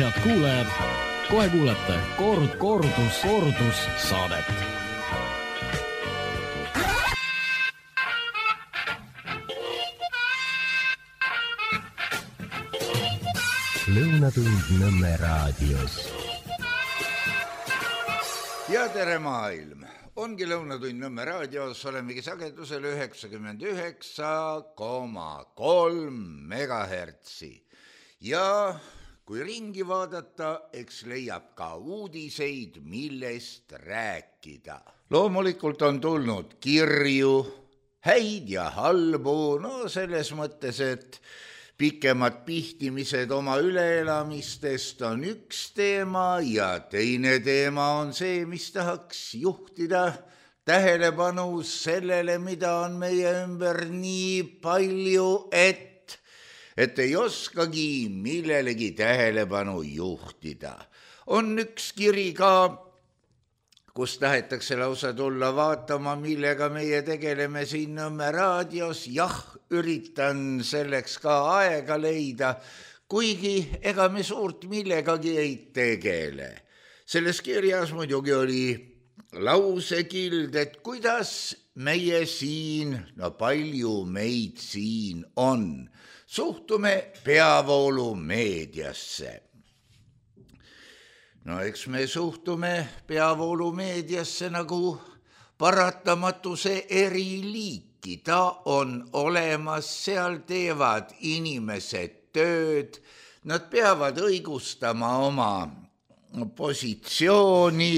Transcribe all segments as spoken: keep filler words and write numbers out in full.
Head kuulajad, kohe kuulete kord, kordus, kordus saadet. Lõunatund Nõmme raadios. Ja tere maailm! Ongi Lõunatund Nõmme raadios, olemegi sagedusel üheksakümmend üheksa koma kolm megahertsi. Ja kui ringi vaadata, eks leiab ka uudiseid, millest rääkida. Loomulikult on tulnud kirju, häid ja halbu, no selles mõttes, et pikemad pihtimised oma üleelamistest on üks teema ja teine teema on see, mis tahaks juhtida tähelepanu sellele, mida on meie ümber nii palju, et, et ei oskagi millelegi tähelepanu juhtida. On üks kiri ka, kus tahetakse lausa tulla vaatama, millega meie tegeleme siin Nõmme raadios. Jah, üritan selleks ka aega leida, kuigi ega me suurt millegagi ei tegele. Selles kirjas muidugi oli lausekild, et kuidas meie siin, no palju meid siin on, suhtume peavoolumeediasse. No eks me suhtume peavoolumeediasse nagu paratamatuse eri liiki. Ta on olemas, seal teevad inimesed tööd, nad peavad õigustama oma positsiooni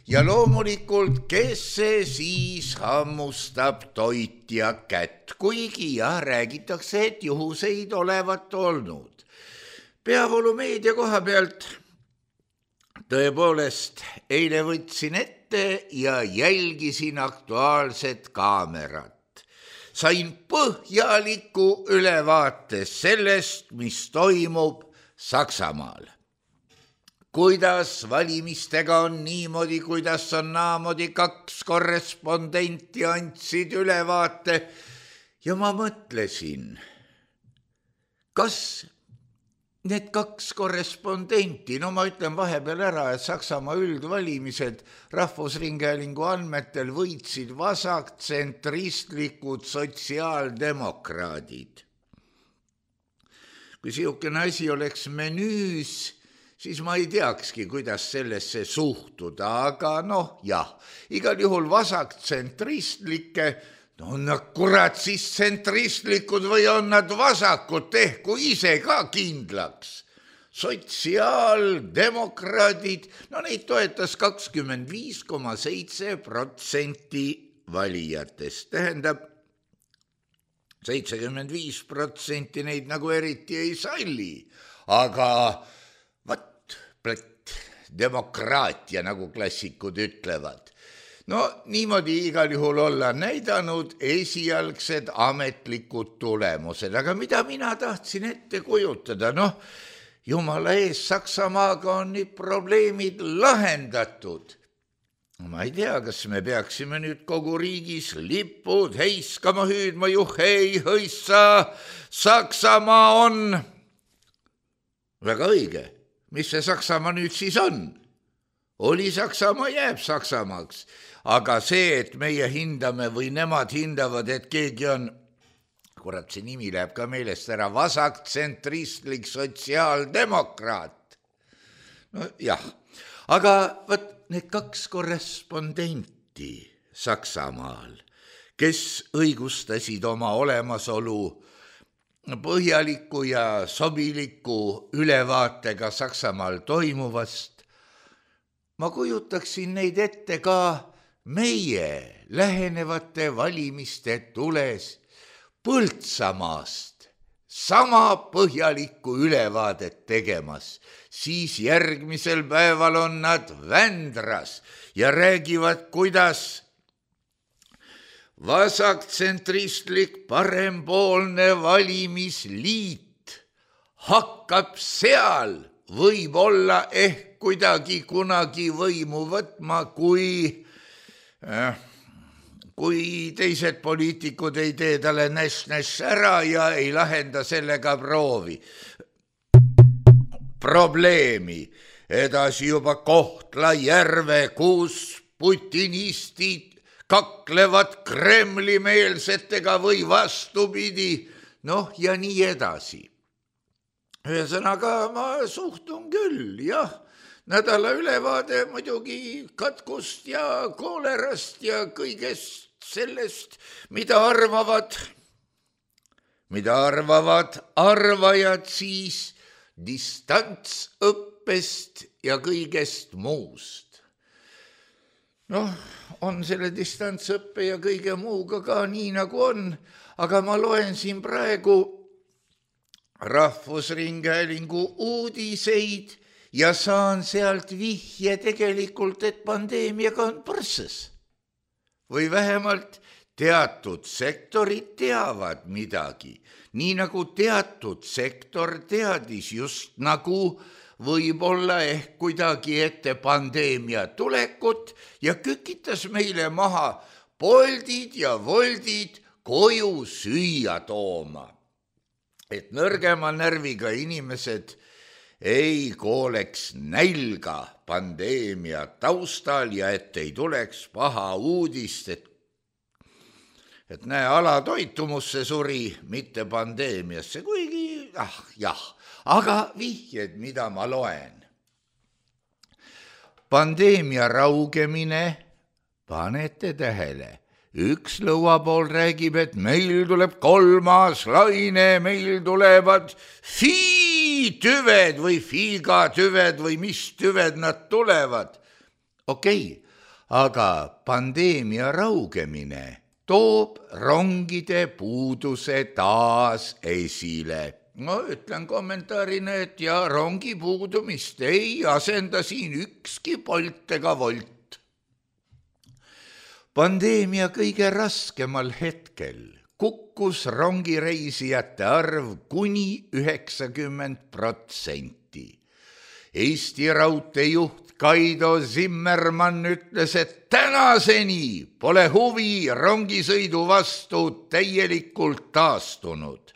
ja loomulikult, kes see siis hammustab toitja kätt, kuigi ja räägitakse, et juhuseid olevat olnud. Peavoolumeedia koha pealt tõepoolest eile võtsin ette ja jälgisin Aktuaalset Kaamerat. Sain põhjaliku ülevaate sellest, mis toimub Saksamaal. Kuidas valimistega on niimoodi, kuidas on naamodi, kaks korrespondenti andsid ülevaate ja ma mõtlesin, kas need kaks korrespondenti, no ma ütlen vahepeal ära, et Saksamaa üldvalimised Rahvusringhäälingu andmetel võitsid vasaktsentristlikud sotsiaaldemokraadid. Kui siukene asi oleks menüüs, siis ma ei teakski, kuidas sellesse suhtuda, aga noh, jah, igal juhul vasaktsentristlikke, no on nad kurat siis tsentristlikud või on nad vasakud, tehku ise ka kindlaks. Sotsiaaldemokraadid, no neid toetas kakskümmend viis koma seitse protsenti valijatest. Tähendab, seitsekümmend viis protsenti neid nagu eriti ei salli, aga vat, plätt, demokraatia, nagu klassikud ütlevad. No niimoodi igal juhul olla näidanud esialgsed ametlikud tulemused, aga mida mina tahtsin ette kujutada, noh, jumala ees, Saksamaaga on nüüd probleemid lahendatud. Ma ei tea, kas me peaksime nüüd kogu riigis lipud heiskama, hüüdma, juhei, hõissa, Saksamaa on. Väga õige, mis see Saksamaa nüüd siis on? Oli Saksamaa, jääb Saksamaaks. Aga see, et meie hindame või nemad hindavad, et keegi on, kurat, see nimi läheb ka meelest ära, vasaktsentristlik sotsiaaldemokraat. No jah, aga võt, need kaks korrespondenti Saksamaal, kes õigustasid oma olemasolu põhjaliku ja sobiliku ülevaatega Saksamaal toimuvast, ma kujutaksin neid ette ka meie lähenevate valimiste tules Põltsamaast sama põhjalikku ülevaadet tegemas, siis järgmisel päeval on nad Vändras ja räägivad, kuidas vasaktsentristlik parempoolne valimisliit hakkab seal võib-olla ehk kuidagi kunagi võimu võtma, kui, äh, kui teised poliitikud ei tee talle näš-näš ära ja ei lahenda sellega proovi. probleemi. Edasi juba Kohtla-Järve, kus putinistid kaklevad Kremli-meelsetega või vastupidi, noh ja nii edasi. Ühesõnaga ma suhtun küll, jah, nädala ülevaade muidugi katkust ja koolerast ja kõigest sellest, mida arvavad, mida arvavad arvajad siis distantsõppest ja kõigest muust. Noh, on selle distantsõppe ja kõige muuga ka nii nagu on, aga ma loen siin praegu Rahvusringhäälingu uudiseid ja saan sealt vihje tegelikult, et pandeemiaga on põrsas. Või vähemalt teatud sektorid teavad midagi, nii nagu teatud sektor teadis just nagu võib-olla ehk kuidagi ette pandeemia tulekut ja kükitas meile maha poldid ja voldid koju süüa tooma. Et nõrgema närviga inimesed ei kooleks nälga pandeemia taustal ja et ei tuleks paha uudist, et, et näe, alatoitumusse suri, mitte pandeemiasse, kuigi ah, jah, aga vihjed, mida ma loen. Pandeemia raugemine, panete tähele. Üks lõuapool räägib, et meil tuleb kolmas laine, meil tulevad fii-tüved või fiigatüved või mis tüved nad tulevad. Okei, aga pandeemia raugemine toob rongide puuduse taas esile. No ütlen kommentaarina, et ja rongi puudumist ei asenda siin ükski Bolt ega Wolt. Pandeemia kõige raskemal hetkel kukkus rongireisijate arv kuni üheksakümmend protsenti. Eesti raudteejuht Kaido Zimmermann ütles, et tänaseni pole huvi rongisõidu vastu täielikult taastunud.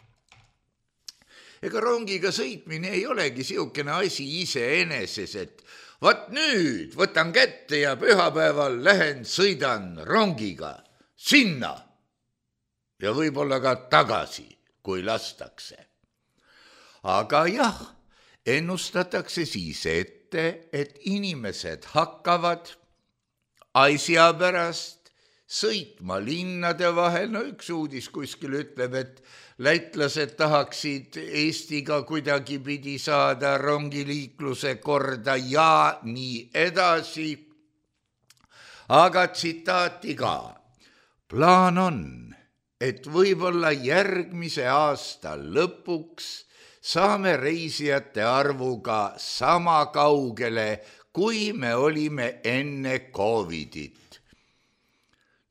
Ega rongiga sõitmine ei olegi siukene asi iseeneses, et vaat nüüd võtan kätte ja pühapäeval lähen sõidan rongiga sinna ja võib-olla ka tagasi, kui lastakse. Aga jah, ennustatakse siis ette, et inimesed hakkavad asja pärast sõitma linnade vahel. No üks uudis kuskil ütleb, et lätlased tahaksid Eestiga kuidagi pidi saada rongiliikluse korda ja nii edasi. Aga tsitaati ka. Plaan on, et võib-olla järgmise aasta lõpuks saame reisijate arvuga sama kaugele, kui me olime enne Covidit.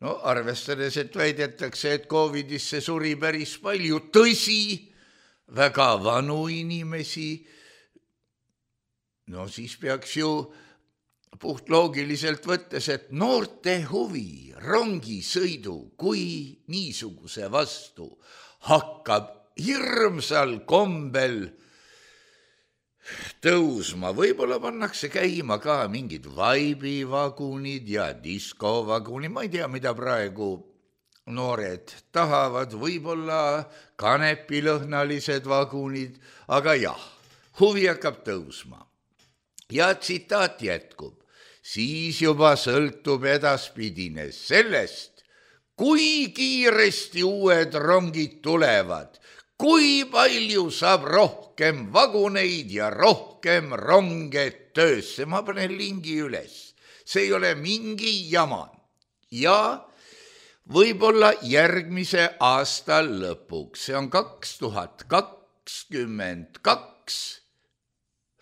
No arvestades, et väidetakse, et Covidisse suri päris palju, tõsi, väga vanu inimesi, no siis peaks ju puht loogiliselt võttes, et noorte huvi rongisõidu kui niisuguse vastu hakkab hirmsal kombel tõusma. Võib-olla pannakse käima ka mingid vaibivagunid ja diskovagunid, ma ei tea, mida praegu noored tahavad, võib-olla kanepilõhnalised vagunid, aga jah, huvi hakkab tõusma. Ja tsitaat jätkub, siis juba sõltub edaspidine sellest, kui kiiresti uued rongid tulevad, kui palju saab rohkem vaguneid ja rohkem ronge töösse. Ma panen lingi üles. See ei ole mingi jama. Ja võib-olla järgmise aasta lõpuks, see on kaks tuhat kakskümmend kaks,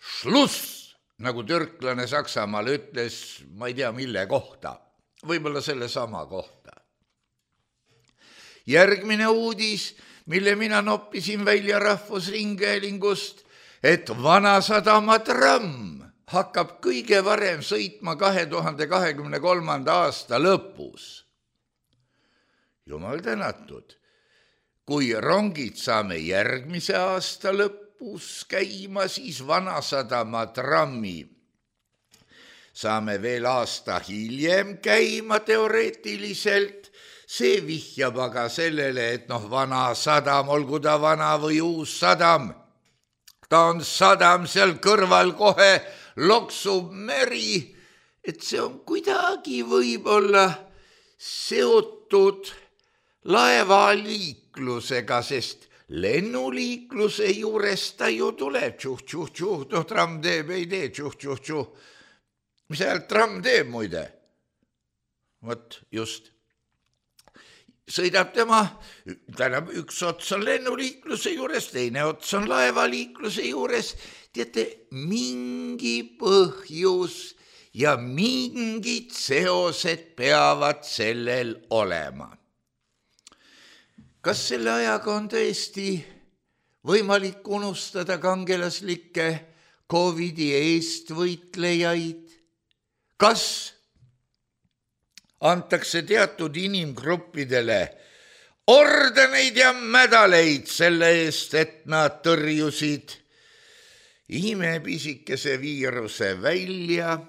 šluss, nagu türklane Saksamaal ütles, ma ei tea mille kohta, võib-olla selle sama kohta. Järgmine uudis, mille mina noppisin välja Rahvusringhäälingust, et Vanasadama tramm hakkab kõige varem sõitma kahe tuhande kahekümne kolmanda aasta lõpus. Jumal tänatud, kui rongid saame järgmise aasta lõppu lõpus käima, siis Vanasadama trammi saame veel aasta hiljem käima teoreetiliselt. See vihjab aga sellele, et noh, Vanasadam, olgu ta vana või uus sadam, ta on sadam, seal kõrval kohe loksub meri, et see on kuidagi võib-olla seotud laevaliiklusega, sest lennuliikluse juures ta ju tuleb, tšuh-tšuh-tšuh, noh, tramm teeb, ei tee, tšuh-tšuh-tšuh. Mis ajal tramm teeb muide? Vot just. Sõidab tema, tähendab, üks ots on lennuliikluse juures, teine ots on laevaliikluse juures. Teate, mingi põhjus ja mingid seosed peavad sellel olema. Kas selle ajaga on tõesti võimalik unustada kangelaslikke Covidi eest võitlejaid? Kas antakse teatud inimgruppidele ordeneid ja medaleid selle eest, et nad tõrjusid imepisikese viiruse välja?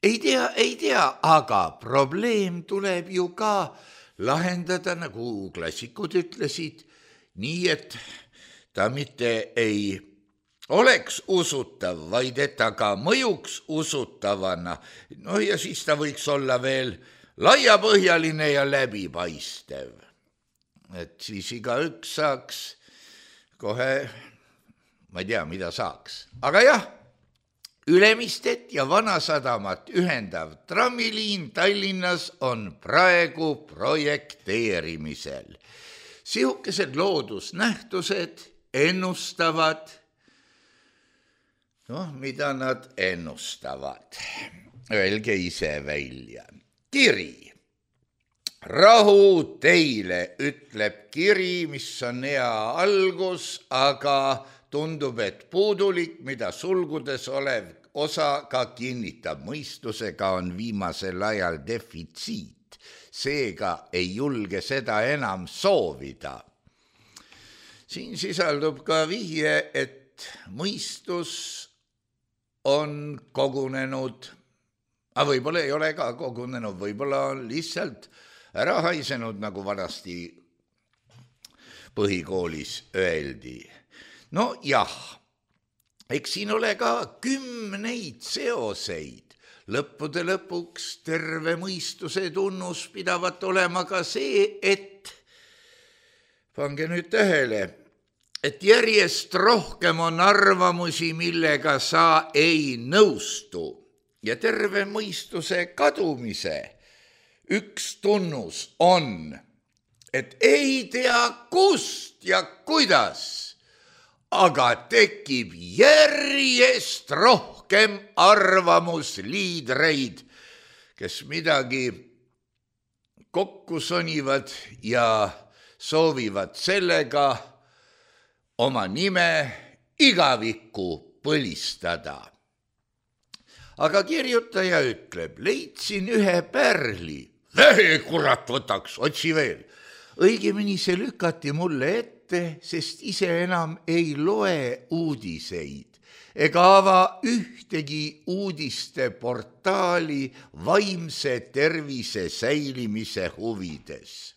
Ei tea, ei tea, aga probleem tuleb ju ka lahendada, nagu klassikud ütlesid, nii et ta mitte ei oleks usutav, vaid et ta ka mõjuks usutavana. No ja siis ta võiks olla veel laiapõhjaline ja läbipaistev. Et siis igaüks saaks kohe, ma ei tea, mida saaks. Aga jah, Ülemistet ja Vanasadamat ühendav trammiliin Tallinnas on praegu projekteerimisel. Sihukesed loodusnähtused ennustavad, noh, mida nad ennustavad? Öelge ise välja. Kiri. Rahu teile, ütleb kiri, mis on hea algus, aga tundub, et puudulik, mida sulgudes olev osa ka kinnitab. Mõistusega on viimasel ajal defitsiit, seega ei julge seda enam soovida. Siin sisaldub ka vihje, et mõistus on kogunenud, aga võib-olla ei ole ka kogunenud, võib-olla on lihtsalt ära haisenud, nagu vanasti põhikoolis öeldi. No jah, eks siin ole ka kümneid seoseid. Lõppude lõpuks terve mõistuse tunnus pidavat olema ka see, et, pange nüüd tähele, et järjest rohkem on arvamusi, millega sa ei nõustu. Ja terve mõistuse kadumise üks tunnus on, et ei tea kust ja kuidas, aga tekib järjest rohkem arvamusliidreid, kes midagi kokku sonivad ja soovivad sellega oma nime igavikku põlistada. Aga kirjutaja ütleb, leidsin ühe pärli. Vähe kurat võtaks, otsi veel. Õigemini see lükati mulle ette, sest ise enam ei loe uudiseid ega ava ühtegi uudiste portaali vaimse tervise säilimise huvides.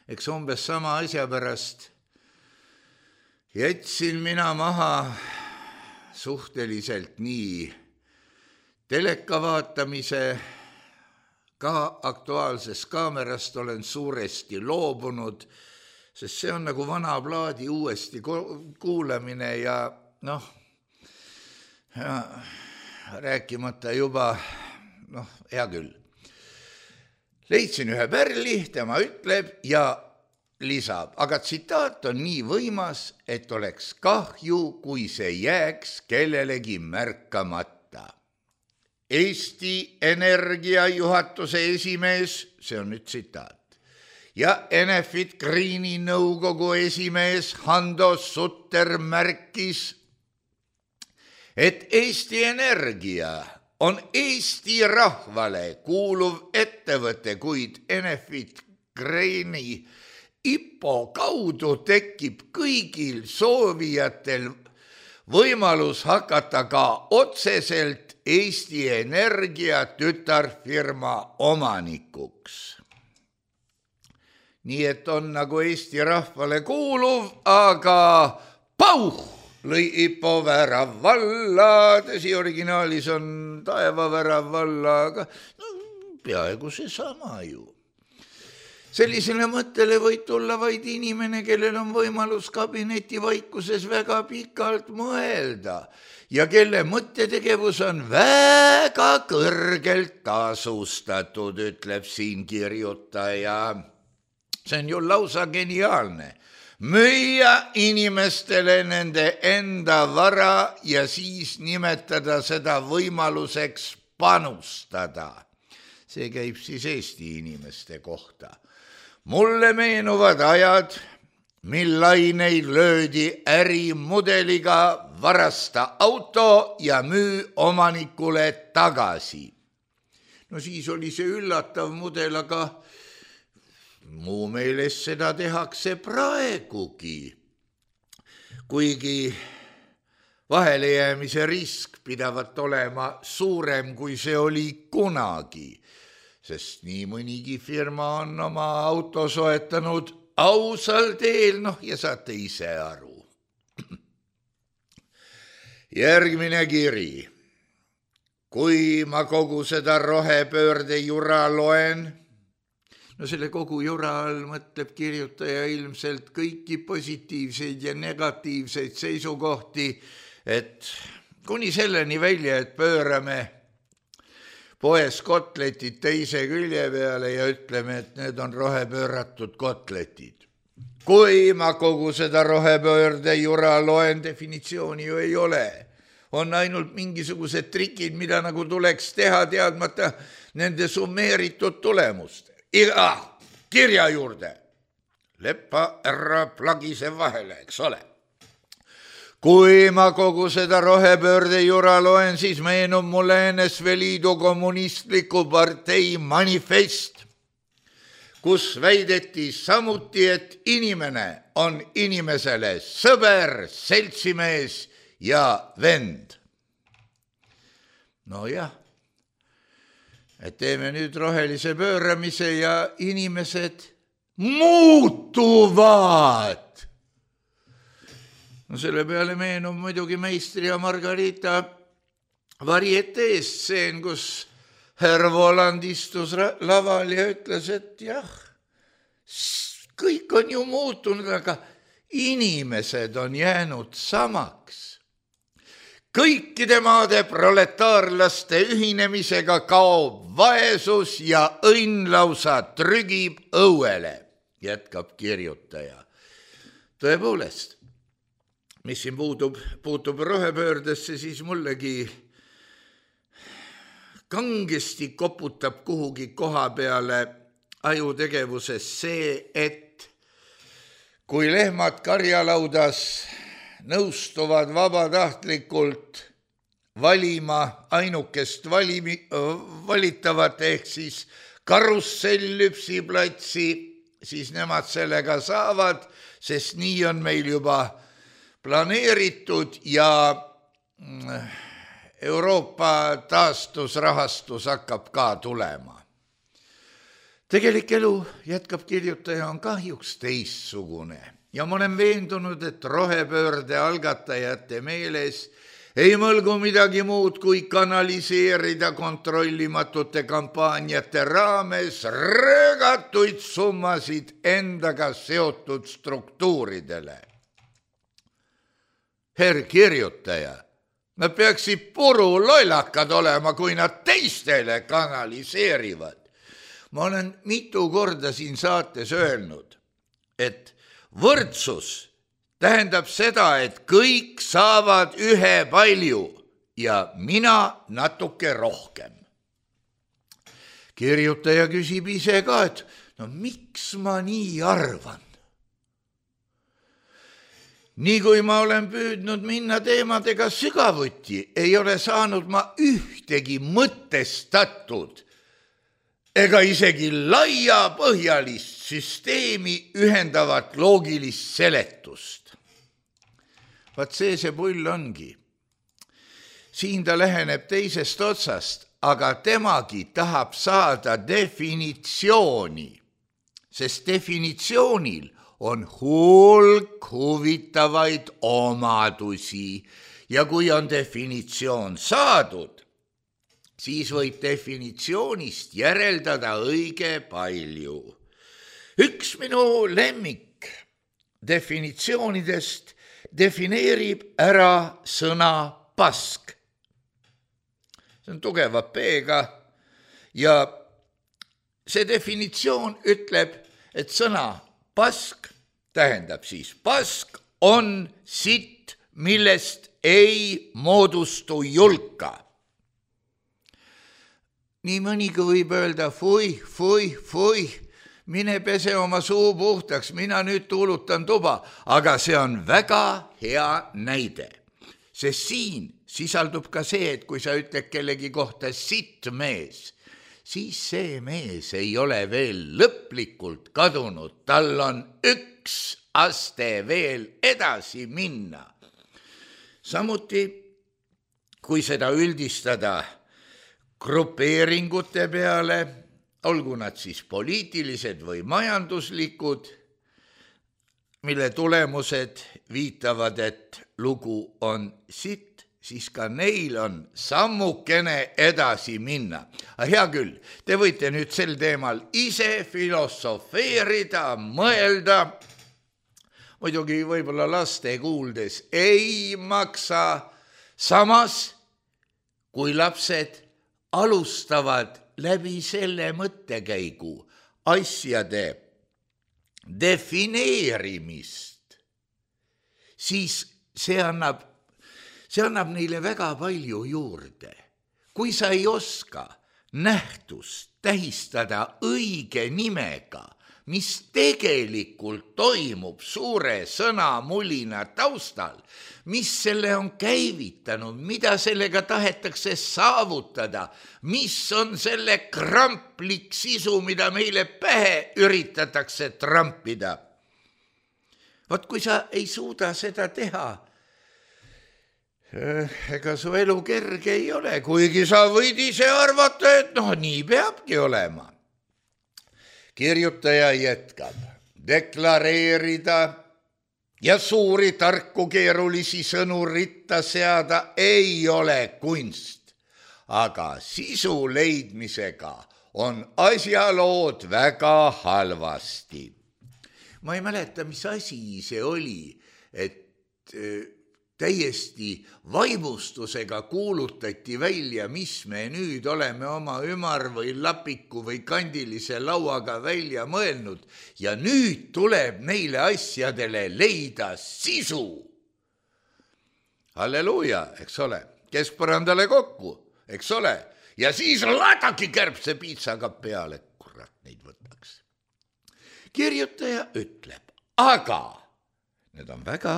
Eks umbes sama asja pärast jätsin mina maha suhteliselt nii teleka vaatamise, ka Aktuaalsest kaamerast olen suuresti loobunud, sest see on nagu vana plaadi uuesti kuulamine ja noh, ja rääkimata juba, noh, hea küll. Leidsin ühe pärli, tema ütleb ja lisab, aga tsitaat on nii võimas, et oleks kahju, kui see jääks kellelegi märkamata. Eesti Energia juhatuse esimees, see on nüüd tsitaat, ja Enefit Greeni nõukogu esimees Hando Sutter märkis, et Eesti Energia on Eesti rahvale kuuluv ettevõte, kuid Enefit Greeni IPO kaudu tekib kõigil soovijatel võimalus hakata ka otseselt Eesti Energia tütarfirma omanikuks. Nii et on nagu Eesti rahvale kuuluv, aga pauh lõi IPO värav valla, tõsi originaalis on taeva värav valla, aga no, peaaegu see sama ju. Sellisele mõttele võid tulla vaid inimene, kellel on võimalus kabineti vaikuses väga pikalt mõelda ja kelle mõttetegevus on väga kõrgelt tasustatud, ütleb siin kirjutaja. See on ju lausa geniaalne. Müüa inimestele nende enda vara ja siis nimetada seda võimaluseks panustada. See käib siis Eesti inimeste kohta. Mulle meenuvad ajad, mil laineid löödi ärimudeliga varasta auto ja müü omanikule tagasi. No siis oli see üllatav mudel, aga muu meeles seda tehakse praegugi. Kuigi vahelejäämise risk pidavat olema suurem, kui see oli kunagi, sest nii mõnigi firma on oma auto soetanud ausal teel, noh ja saate ise aru. Järgmine kiri. Kui ma kogu seda rohepöörde jura loen, no selle kogu jura all mõtleb kirjutaja ilmselt kõiki positiivseid ja negatiivseid seisukohti, et kuni selleni välja, et pöörame poes kotletid teise külje peale ja ütleme, et need on rohepööratud kotletid. Kui ma kogu seda rohepöörde jura loen, definitsiooni ju ei ole. On ainult mingisugused trikid, mida nagu tuleks teha teadmata nende summeeritud tulemust. Iga kirja juurde. Leppa ära plagise vahele, eks ole. Kui ma kogu seda rohepöörde jura loen, siis meenub mulle N S V Liidu kommunistliku partei manifest, kus väideti samuti, et inimene on inimesele sõber, seltsimees ja vend. No jah. Et teeme nüüd rohelise pööramise ja inimesed muutuvad. No selle peale meenub muidugi Meistri ja Margarita varietee stseen, kus härra Voland istus laval ja ütles, et jah, kõik on ju muutunud, aga inimesed on jäänud samaks. Kõikide maade proletaarlaste ühinemisega kaob vaesus ja õnn lausa trügib õuele, jätkab kirjutaja. Tõepoolest, mis siin puutub, puutub rohepöördesse, siis mullegi kangesti koputab kuhugi koha peale ajutegevuses see, et kui lehmad karjalaudas nõustuvad vabatahtlikult valima ainukest valimi, valitavat ehk siis karussell-lüpsiplatsi, siis nemad sellega saavad, sest nii on meil juba planeeritud ja Euroopa taastusrahastus hakkab ka tulema. Tegelik elu, jätkab kirjutaja, on kahjuks teistsugune. Ja ma olen veendunud, et rohepöörde algatajate meeles ei mõlgu midagi muud kui kanaliseerida kontrollimatute kampaaniate raames röögatuid summasid endaga seotud struktuuridele. Herr kirjutaja, nad peaksid puru lollakad olema, kui nad teistele kanaliseerivad. Ma olen mitu korda siin saates öelnud, et võrdsus tähendab seda, et kõik saavad ühe palju ja mina natuke rohkem. Kirjutaja küsib ise ka, et no miks ma nii arvan? Nii kui ma olen püüdnud minna teemadega sügavuti, ei ole saanud ma ühtegi mõtestatud ega isegi laiapõhjalist süsteemi ühendavat loogilist seletust. Vaat see see pull ongi. Siin ta läheneb teisest otsast, aga temagi tahab saada definitsiooni, sest definitsioonil on hulk huvitavaid omadusi ja kui on definitsioon saadud, siis võib definitsioonist järeldada õige palju. Üks minu lemmik definitsioonidest defineerib ära sõna pask. See on tugeva P-ga ja see definitsioon ütleb, et sõna pask tähendab siis pask on sitt, millest ei moodustu julka. Nii mõnigi võib öelda, fui, fui, fui, mine pese oma suu puhtaks, mina nüüd tuulutan tuba, aga see on väga hea näide. Sest siin sisaldub ka see, et kui sa ütled kellegi kohta sitt mees, siis see mees ei ole veel lõplikult kadunud, tal on üks aste veel edasi minna. Samuti, kui seda üldistada grupeeringute peale, olgu nad siis poliitilised või majanduslikud, mille tulemused viitavad, et lugu on sitt, siis ka neil on sammukene edasi minna. Hea küll, te võite nüüd sel teemal ise filosofeerida, mõelda, muidugi võib-olla laste kuuldes ei maksa, samas kui lapsed alustavad läbi selle mõttekäigu asjade defineerimist, siis see annab, see annab neile väga palju juurde. Kui sa ei oska nähtust tähistada õige nimega, mis tegelikult toimub suure sõnamulina taustal, mis selle on käivitanud, mida sellega tahetakse saavutada, mis on selle kramplik sisu, mida meile pähe üritatakse trampida. Vot kui sa ei suuda seda teha, ega su elu kerge ei ole, kuigi sa võid ise arvata, et noh, nii peabki olema. Kirjutaja jätkab, deklareerida ja suuri tarku keerulisi sõnu ritta seada ei ole kunst, aga sisu leidmisega on asjalood väga halvasti. Ma ei mäleta, mis asi see oli, et täiesti vaimustusega kuulutati välja, mis me nüüd oleme oma ümar või lapiku või kandilise lauaga välja mõelnud ja nüüd tuleb neile asjadele leida sisu. Halleluuja, eks ole, keskpõrandale kokku, eks ole, ja siis laadaki kärbse piitsaga peale, kurat neid võtaks. Kirjutaja ütleb, aga need on väga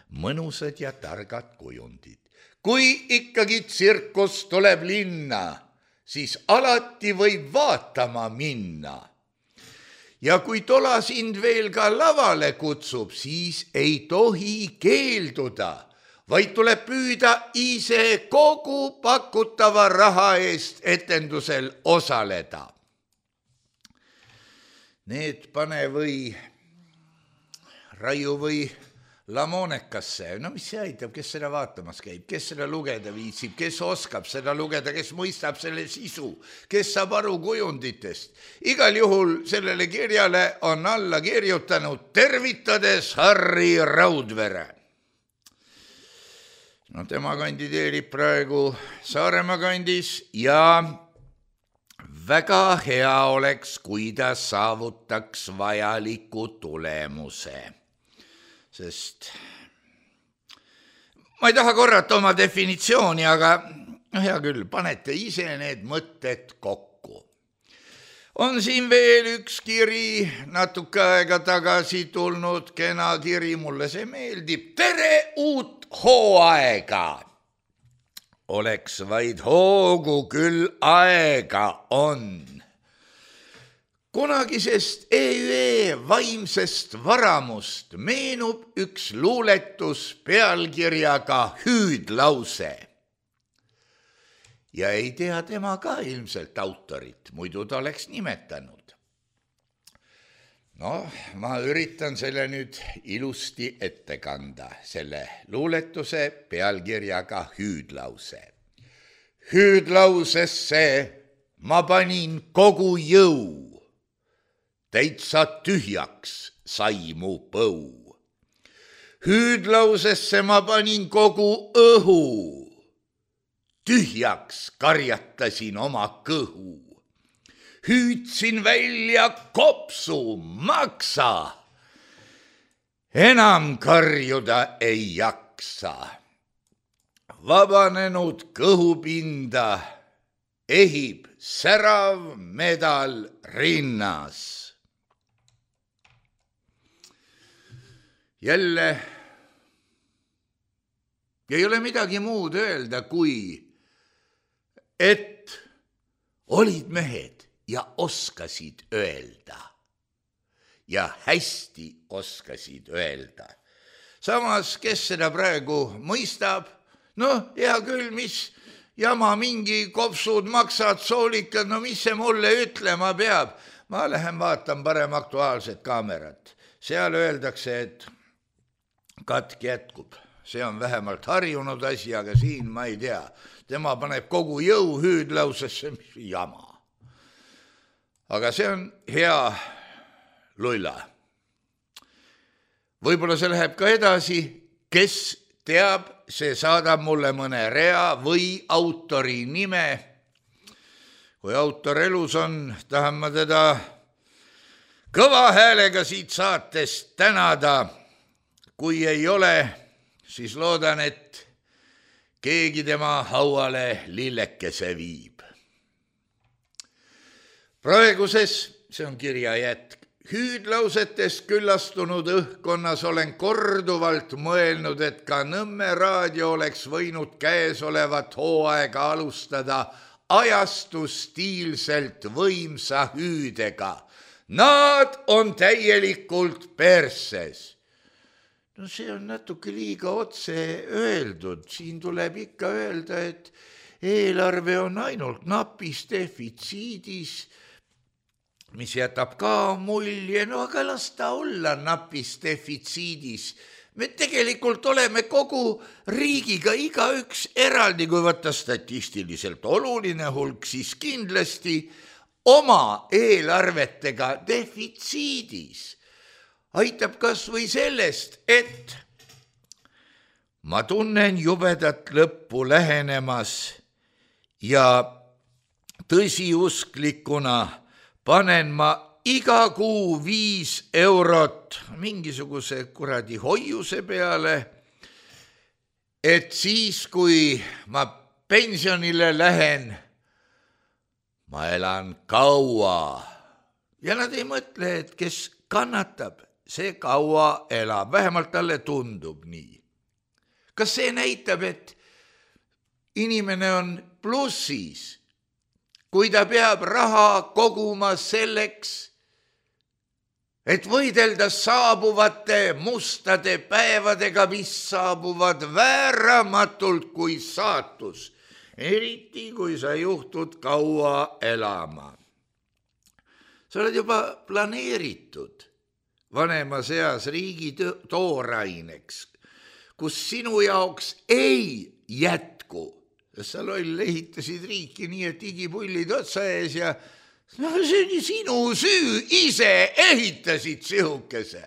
mõnusad ja targad kujundid. Kui ikkagi tsirkus tuleb linna, siis alati võib vaatama minna. Ja kui tola sind veel ka lavale kutsub, siis ei tohi keelduda, vaid tuleb püüda ise kogu pakutava raha eest etendusel osaleda. Need pane või raiu või Lamoonekasse, no mis see aitab, kes seda vaatamas käib, kes seda lugeda viitsib, kes oskab seda lugeda, kes mõistab selle sisu, kes saab aru kujunditest. Igal juhul sellele kirjale on alla kirjutanud tervitades Harri Raudvere. No tema kandideerib praegu Saaremaa kandis ja väga hea oleks, kui ta saavutaks vajaliku tulemuse. Sest ma ei taha korrata oma definitsiooni, aga no hea küll, panete ise need mõtted kokku. On siin veel üks kiri, natuke aega tagasi tulnud kena kiri, mulle see meeldib. Tere uut hooaega! Oleks vaid hoogu küll aega on. kunagisest E Ü E vaimsest varamust meenub üks luuletus pealkirjaga Hüüdlause. Ja ei tea tema ka ilmselt autorit, muidu ta oleks nimetanud. No, ma üritan selle nüüd ilusti ette kanda, selle luuletuse pealkirjaga Hüüdlause. Hüüdlausesse ma panin kogu jõu, täitsa tühjaks sai mu põu. Hüüdlausesse ma panin kogu õhu, tühjaks karjatasin oma kõhu. Hüüdsin välja kopsu, maksa, enam karjuda ei jaksa. Vabanenud kõhupinda ehib särav medal rinnas. Jälle ei ole midagi muud öelda, kui et olid mehed ja oskasid öelda. Ja hästi oskasid öelda. Samas, kes seda praegu mõistab, noh, hea küll, mis jama mingi kopsud, maksad, soolikad, no mis see mulle ütlema peab? Ma lähen vaatan parem Aktuaalset kaamerat. Seal öeldakse, et katk jätkub. See on vähemalt harjunud asi, aga siin ma ei tea. Tema paneb kogu jõu hüüdlausesse, mis jama. Aga see on hea lulla. Võib-olla see läheb ka edasi, kes teab, see saadab mulle mõne rea või autori nime. Kui autor elus on, tahan ma teda kõva häälega siit saatest tänada. Kui ei ole, siis loodan, et keegi tema hauale lillekese viib. Praeguses, see on kirja jätk, hüüdlausetest küllastunud õhkonnas olen korduvalt mõelnud, et ka Nõmme raadio oleks võinud käesolevat hooaega alustada ajastustiilselt võimsa hüüdega. Nad on täielikult perses. No see on natuke liiga otse öeldud. Siin tuleb ikka öelda, et eelarve on ainult napis defitsiidis, mis jätab ka mulje, no aga las ta olla napis defitsiidis. Me tegelikult oleme kogu riigiga igaüks eraldi, kui võtta statistiliselt oluline hulk, siis kindlasti oma eelarvetega defitsiidis. Aitab kas või sellest, et ma tunnen jubedat lõppu lähenemas ja tõsiusklikuna panen ma iga kuu viis eurot mingisuguse kuradi hoiuse peale, et siis, kui ma pensionile lähen, ma elan kaua. Ja nad ei mõtle, et kes kannatab, see kaua elab, vähemalt talle tundub nii. Kas see näitab, et inimene on plussis, kui ta peab raha koguma selleks, et võidelda saabuvate mustade päevadega, mis saabuvad vääramatult kui saatus, eriti kui sa juhtud kaua elama. Sa oled juba planeeritud vanema seas riigi tooraineks, kus sinu jaoks ei jätku. Sa loll ehitasid riiki nii, et igipullid otsa ees ja no, see on sinu süü, ise ehitasid sihukese.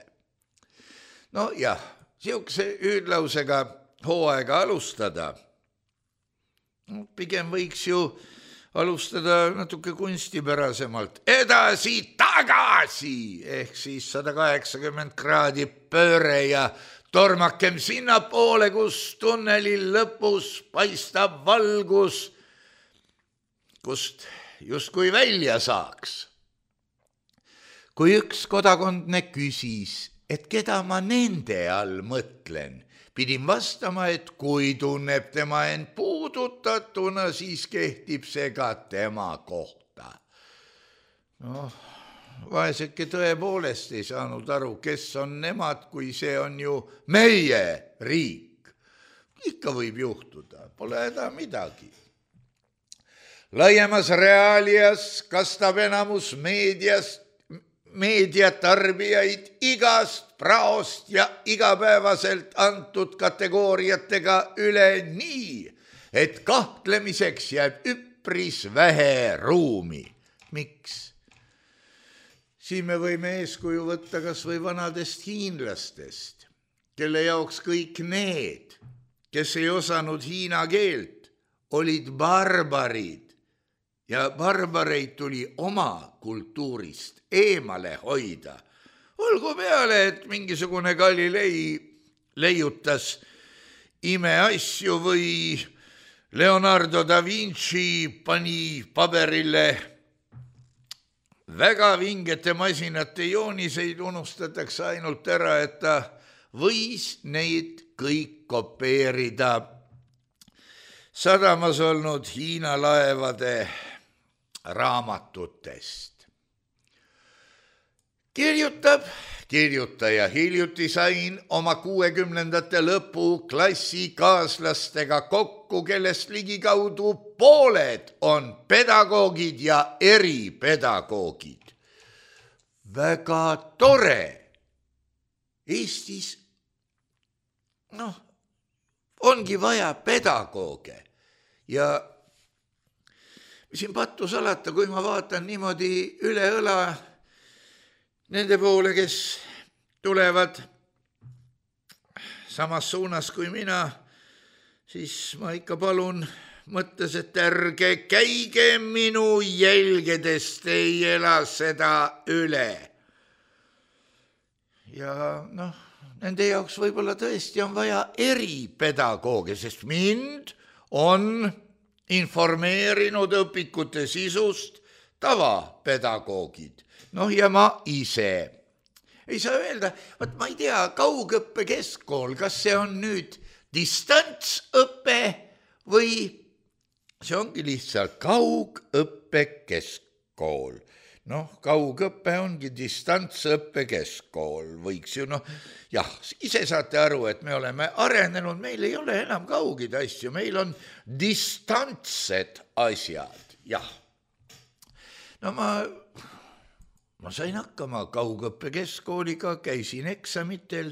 No jah, sihukese hüüdlausega hooaega alustada. No, pigem võiks ju alustada natuke kunstipärasemalt. Edasi, tagasi, ehk siis sada kaheksakümmend kraadi pööre ja tormakem sinna poole, kus tunneli lõpus paistab valgus, kust justkui välja saaks. Kui üks kodakondne küsis, et keda ma nende all mõtlen, pidin vastama, et kui tunneb tema end puudutatuna, siis kehtib see ka tema kohta. Noh, vaeseke tõepoolest ei saanud aru, kes on nemad, kui see on ju meie riik. Ikka võib juhtuda, pole häda midagi. Laiemas reaalias kastab enamus meediast, meediatarbijaid igast praost ja igapäevaselt antud kategooriatega üle nii, et kahtlemiseks jääb üpris vähe ruumi. Miks? Siin me võime eeskuju võtta kas või vanadest hiinlastest, kelle jaoks kõik need, kes ei osanud hiina keelt, olid barbarid ja barbareid tuli oma kultuurist eemale hoida. Olgu peale, et mingisugune Galilei leiutas imeasju või Leonardo da Vinci pani paberile väga vingete masinate jooniseid, unustatakse ainult ära, et ta võis neid kõik kopeerida sadamas olnud Hiina laevade raamatutest. Kirjutab, kirjutaja, hiljuti sain oma kuuekümnendate lõpu klassikaaslastega kokku, kellest ligikaudu pooled on pedagoogid ja eripedagoogid. Väga tore. Eestis, noh, ongi vaja pedagooge ja siin pattu salata, kui ma vaatan niimoodi üle õla nende poole, kes tulevad samas suunas kui mina, siis ma ikka palun mõttes, et ärge käige minu jälgedest, ei ela seda üle. Ja noh, nende jaoks võib-olla tõesti on vaja eripedagooge, sest mind on informeerinud õpikute sisust tavapedagoogid. Noh, ja ma ise. Ei saa öelda, võt ma ei tea, kaugõppe keskkool, kas see on nüüd distantsõpe või see ongi lihtsalt kaugõppe keskkool. Noh, kaugõppe ongi distantsõppe keskkool, võiks ju, noh, jah, ise saate aru, et me oleme arenenud, meil ei ole enam kaugid asju, meil on distantsed asjad, jah. No ma, ma sain hakkama kaugõppe keskkooliga, käisin eksamitel,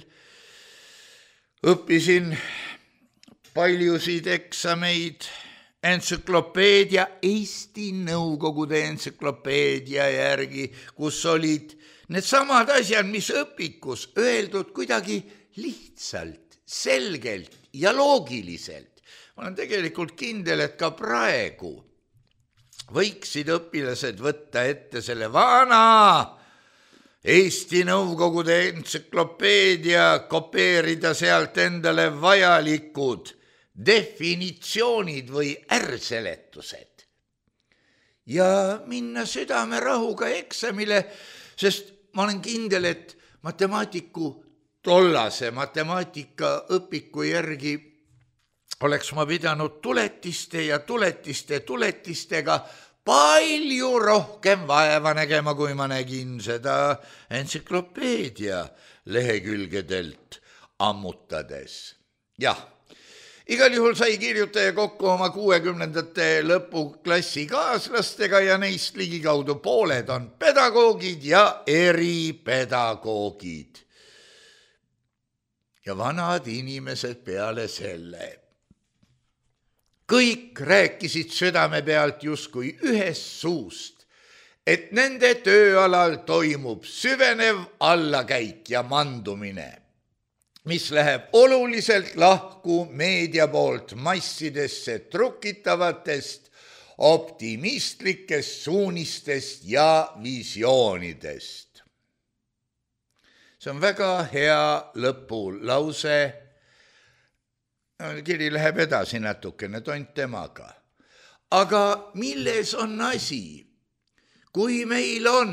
õppisin paljusid eksameid, entsüklopeedia, Eesti Nõukogude entsüklopeedia järgi, kus olid need samad asjad, mis õpikus öeldud kuidagi lihtsalt, selgelt ja loogiliselt. Ma olen tegelikult kindel, et ka praegu võiksid õpilased võtta ette selle vana Eesti Nõukogude entsüklopeedia, kopeerida sealt endale vajalikud definitsioonid või ärseletused ja minna südamerahuga eksamile, sest ma olen kindel, et matemaatiku tollase matemaatika õpiku järgi oleks ma pidanud tuletiste ja tuletiste tuletistega palju rohkem vaeva nägema, kui ma nägin seda entsüklopeedia lehekülgedelt ammutades. Jah. Igal juhul sai kirjutaja kokku oma kuuekümnendate lõpu klassikaaslastega ja neist ligikaudu pooled on pedagoogid ja eripedagoogid. Ja vanad inimesed peale selle. Kõik rääkisid südame pealt justkui ühest suust, et nende tööalal toimub süvenev allakäik ja mandumine, mis läheb oluliselt lahku meedia poolt massidesse trukitavatest optimistlikest suunistest ja visioonidest. See on väga hea lõpulause. Kiri läheb edasi natukene, tont temaga. Aga milles on asi, kui meil on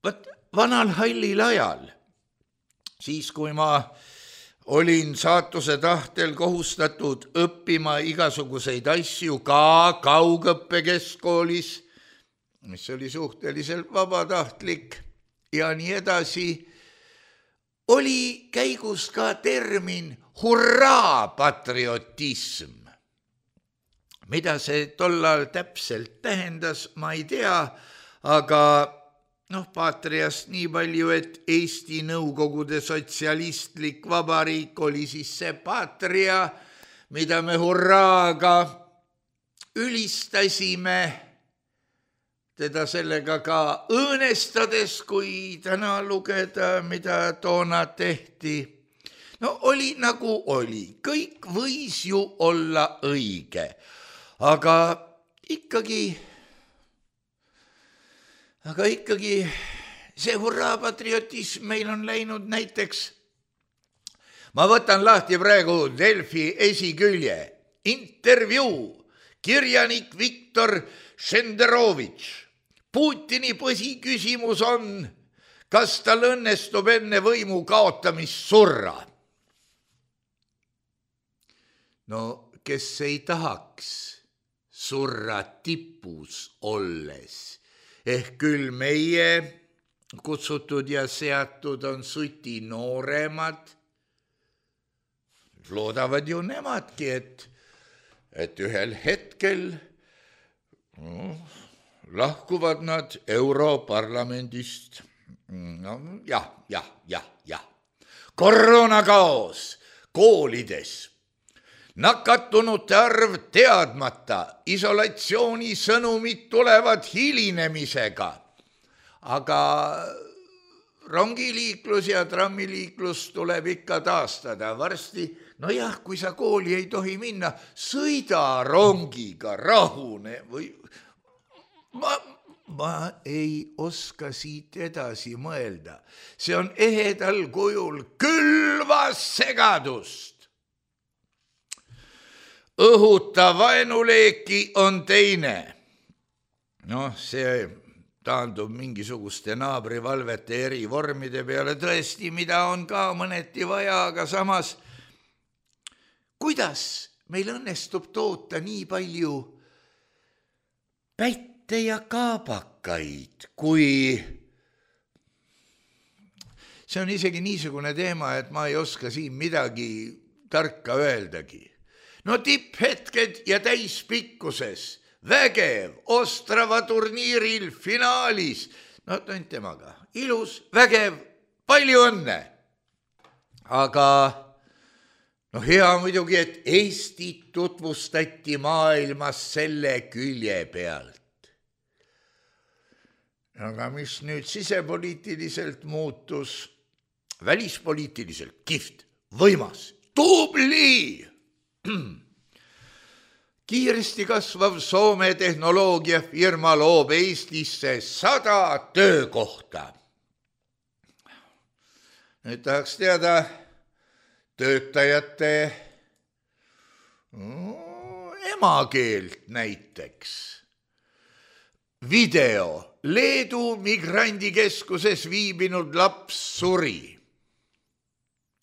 võt, vanal hallil ajal, siis kui ma olin saatuse tahtel kohustatud õppima igasuguseid asju ka kaugõppe keskkoolis, mis oli suhteliselt vabatahtlik ja nii edasi, oli käigus ka termin hurraa patriotism. Mida see tollal täpselt tähendas, ma ei tea, aga noh, paatriast nii palju, et Eesti Nõukogude sotsialistlik vabariik oli siis see paatria, mida me hurraaga ülistasime, teda sellega ka õõnestades, kui täna lugeda, mida toona tehti. No oli nagu oli, kõik võis ju olla õige, aga ikkagi, aga ikkagi see hurraa patriotism meil on läinud näiteks. Ma võtan lahti praegu Delfi esikülje, intervjuu, kirjanik Viktor Šenderovitš. Putini põhiküsimus on, kas tal õnnestub enne võimu kaotamist surra. No, kes ei tahaks surra tipus olles, ehk küll meie kutsutud ja seatud on suti nooremad, loodavad ju nemadki, et, et ühel hetkel no, lahkuvad nad Europarlamendist. No, jah, jah, jah, jah. Koroonakaos koolides. Nakatunute arv teadmata, isolatsiooni sõnumid tulevad hilinemisega. Aga rongiliiklus ja trammiliiklus tuleb ikka taastada. Varsti, no jah, kui sa kooli ei tohi minna, sõida rongiga, rahune või... Ma, ma ei oska siit edasi mõelda. See on ehedal kujul külvas segadust. Õhuta vaenuleeki on teine. Noh, see taandub mingisuguste naabrivalvete eri vormide peale tõesti, mida on ka mõneti vaja, aga samas, kuidas meil õnnestub toota nii palju päit ja kaabakaid, kui see on isegi niisugune teema, et ma ei oska siin midagi tarka öeldagi. No tipphetked ja täispikkuses, vägev, Ostrava turniiril finaalis, no tont temaga, ilus, vägev, palju õnne. Aga no hea muidugi, et Eestit tutvustati maailmas selle külje pealt. Aga mis nüüd sisepoliitiliselt muutus, välispoliitiliselt kihvt, võimas, tubli. Kiiresti kasvav Soome tehnoloogiafirma loob Eestisse sada töökohta. Nüüd tahaks teada töötajate emakeelt näiteks. Video. Leedu migrandikeskuses viibinud laps suri.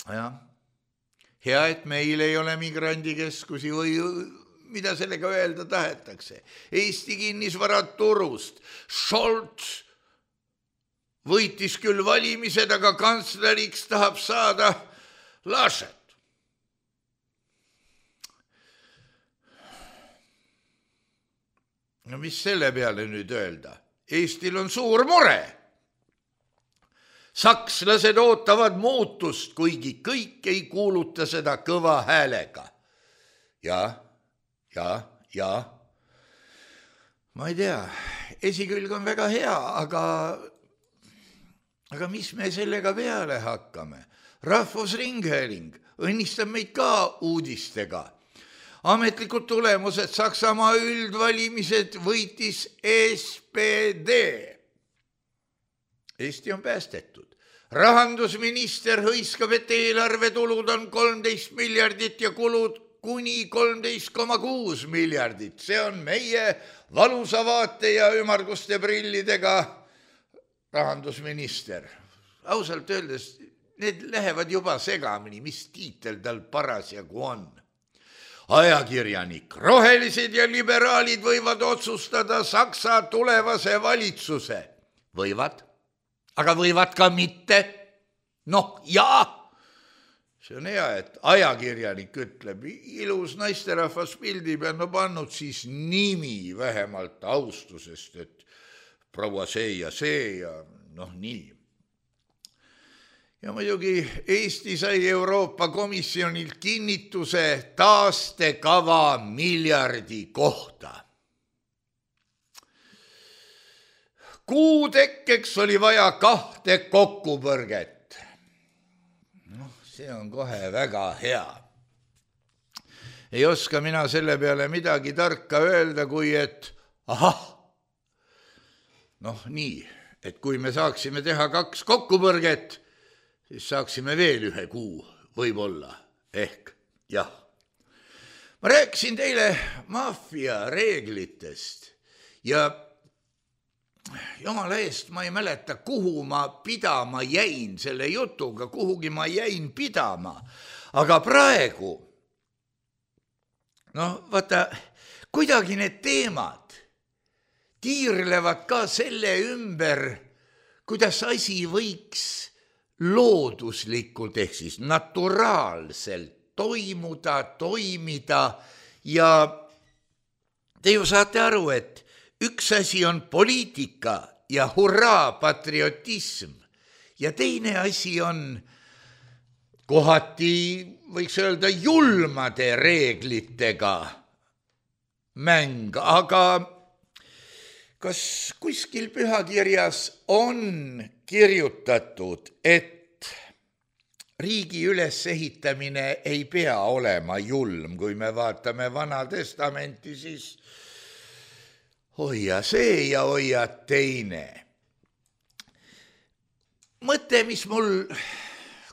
Ja, hea, et meil ei ole migrandikeskusi või mida sellega öelda tahetakse. Eesti kinnisvaraturust. Scholz võitis küll valimised, aga kantsleriks tahab saada Laschet. No mis selle peale nüüd öelda? Eestil on suur mure. Sakslased ootavad muutust, kuigi kõik ei kuuluta seda kõva häälega. Ja, ja, ja. Ma ei tea, esikülg on väga hea, aga, aga mis me sellega peale hakkame? Rahvusringhääling õnnistab meid ka uudistega. Ametlikud tulemused, Saksamaa üldvalimised võitis S P D. Eesti on päästetud. Rahandusminister hõiskab, et eelarvetulud on kolmteist miljardit ja kulud kuni kolmteist koma kuus miljardit. See on meie valusa vaate ja ümarguste prillidega rahandusminister. Ausalt öeldes, need lähevad juba segamini, mis tiitel tal parasjagu on. ajakirjanik. Rohelised ja liberaalid võivad otsustada Saksa tulevase valitsuse. Võivad, aga võivad ka mitte. Noh, jaa, see on hea, et ajakirjanik ütleb, ilus naisterahvas pildi peal, no pannud siis nimi vähemalt austusest, et proua see ja see ja noh, nii. Ja muidugi Eesti sai Euroopa Komisjonilt kinnituse taastekava miljardi kohta. Kuu tekkeks oli vaja kahte kokkupõrget. Noh, see on kohe väga hea. Ei oska mina selle peale midagi tarka öelda, kui et ahah, noh nii, et kui me saaksime teha kaks kokkupõrget, siis saaksime veel ühe kuu, võib-olla, ehk, jah. Ma rääkisin teile maffia reeglitest ja jumala eest ma ei mäleta, kuhu ma pidama jäin selle jutuga, kuhugi ma jäin pidama, aga praegu, noh, vaata, kuidagi need teemad tiirlevad ka selle ümber, kuidas asi võiks looduslikult ehk siis naturaalselt toimuda, toimida ja te ju saate aru, et üks asi on poliitika ja hurraa patriotism ja teine asi on kohati, võiks öelda, julmade reeglitega mäng, aga kas kuskil pühakirjas on kirjutatud, et riigi ülesehitamine ei pea olema julm, kui me vaatame Vana Testamenti, siis hoia see ja hoia teine. Mõte, mis mul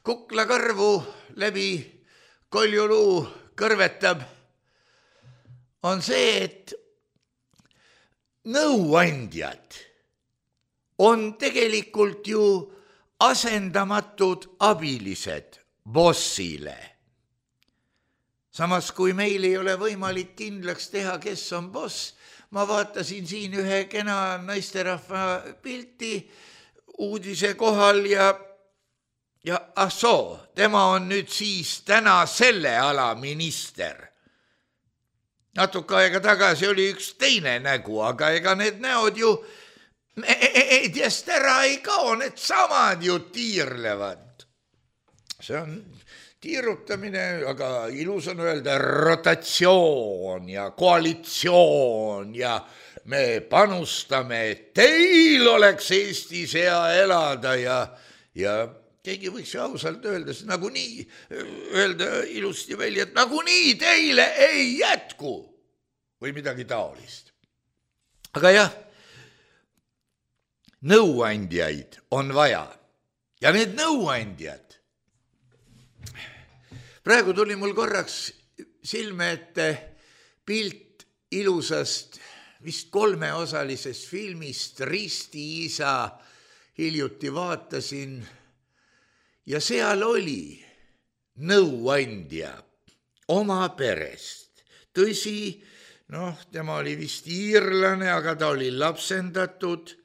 kuklakarvu läbi koljuluu kõrvetab, on see, et nõuandjad on tegelikult ju asendamatud abilised bossile. Samas, kui meil ei ole võimalik kindlaks teha, kes on boss, ma vaatasin siin ühe kena naisterahva pilti uudise kohal ja, ja ah soo, tema on nüüd siis täna selle ala minister. Natuke aega tagasi oli üks teine nägu, aga ega need näod ju meediast ära ei kao, need samad ju tiirlevad. See on tiirutamine, aga ilus on öelda rotatsioon ja koalitsioon ja me panustame, et teil oleks Eestis hea elada ja, ja keegi võiks ju ausalt öelda, nagu nii, öelda ilusti välja, et nagu nii teile ei jätku või midagi taolist. Aga jah, nõuandjaid on vaja ja need nõuandjad, praegu tuli mul korraks silme ette pilt ilusast, vist kolmeosalisest filmist Ristiisa, hiljuti vaatasin ja seal oli nõuandja oma perest. Tõsi, noh, tema oli vist iirlane, aga ta oli lapsendatud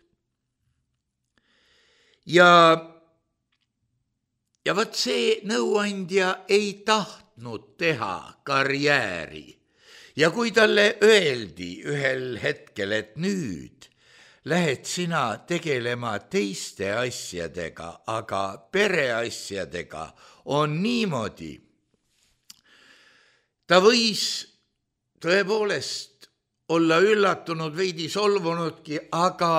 ja Ja võt see nõuandja ei tahtnud teha karjääri ja kui talle öeldi ühel hetkel, et nüüd lähed sina tegelema teiste asjadega, aga pereasjadega on niimoodi. Ta võis tõepoolest olla üllatunud, veidi solvunudki, aga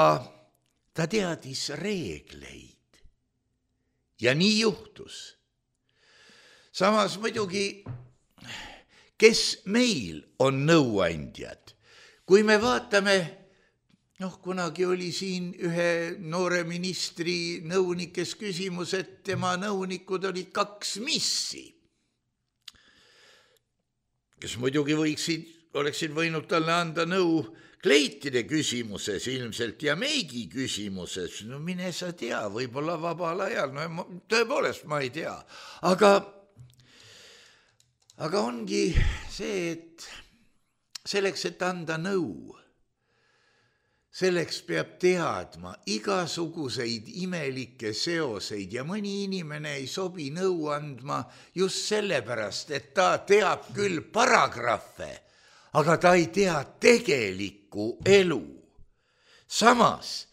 ta teadis reegleid. Ja nii juhtus. Samas muidugi, kes meil on nõuandjad? Kui me vaatame, noh, kunagi oli siin ühe noore ministri nõunikes küsimus, et tema nõunikud olid kaks missi, kes muidugi võiksid, oleksid võinud talle anda nõu kleitide küsimuses ilmselt ja meigi küsimuses, no mine sa tea, võib-olla vabal ajal, no tõepoolest ma ei tea, aga aga ongi see, et selleks, et anda nõu, selleks peab teadma igasuguseid imelikke seoseid ja mõni inimene ei sobi nõu andma just sellepärast, et ta teab küll paragrahve, aga ta ei tea tegelikku elu. Samas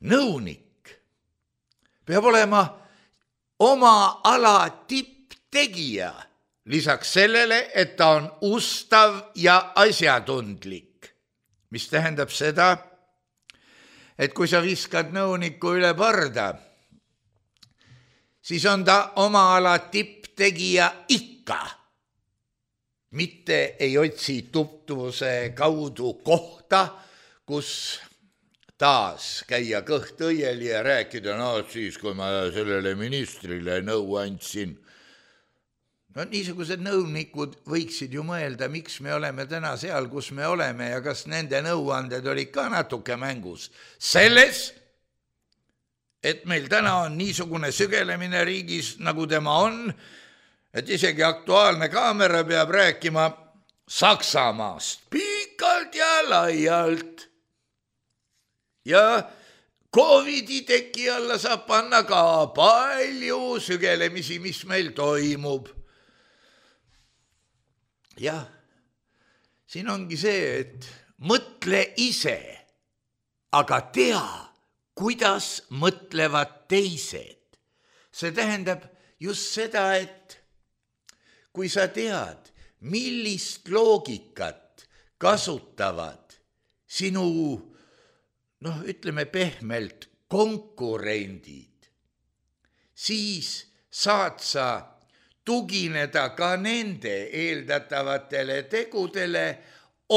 nõunik peab olema oma ala tipptegija, lisaks sellele, et ta on ustav ja asjatundlik, mis tähendab seda, et kui sa viskad nõuniku üle parda, siis on ta oma ala tipptegija ikka. Mitte ei otsi tutvuse kaudu kohta, kus taas käia kõht õieli ja rääkida, no siis, kui ma sellele ministrile nõu andsin. No niisugused nõunikud võiksid ju mõelda, miks me oleme täna seal, kus me oleme ja kas nende nõuanded olid ka natuke mängus. Selles, et meil täna on niisugune sügelemine riigis, nagu tema on, et isegi Aktuaalne kaamera peab rääkima Saksamaast pikalt ja laialt. Ja Covidi teki alla saab panna ka palju sügelemisi, mis meil toimub. Jah, siin ongi see, et mõtle ise, aga tea, kuidas mõtlevad teised. See tähendab just seda, et kui sa tead, millist loogikat kasutavad sinu, noh, ütleme pehmelt, konkurendid, siis saad sa tugineda ka nende eeldatavatele tegudele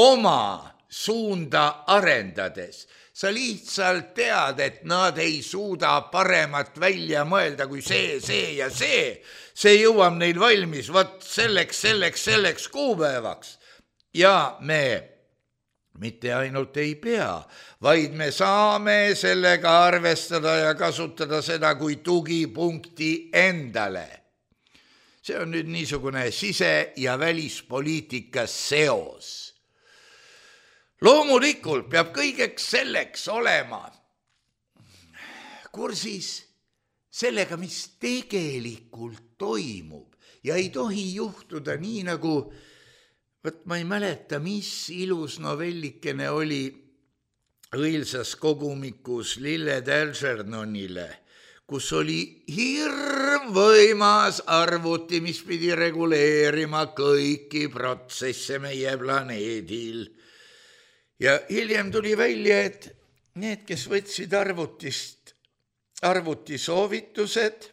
oma suunda arendades. Sa lihtsalt tead, et nad ei suuda paremat välja mõelda kui see, see ja see. See jõuab neil valmis, võt selleks, selleks, selleks kuupäevaks. Ja me mitte ainult ei pea, vaid me saame sellega arvestada ja kasutada seda kui tugipunkti endale. See on nüüd niisugune sise- ja välispoliitika seos. Loomulikult peab kõigeks selleks olema kursis sellega, mis tegelikult toimub ja ei tohi juhtuda nii nagu, võt ma ei mäleta, mis ilus novellikene oli õilsas kogumikus Lilled Algernonile, kus oli hirmvõimas arvuti, mis pidi reguleerima kõiki protsesse meie planeedil. Ja hiljem tuli välja, et need, kes võtsid arvutist, arvutisoovitused,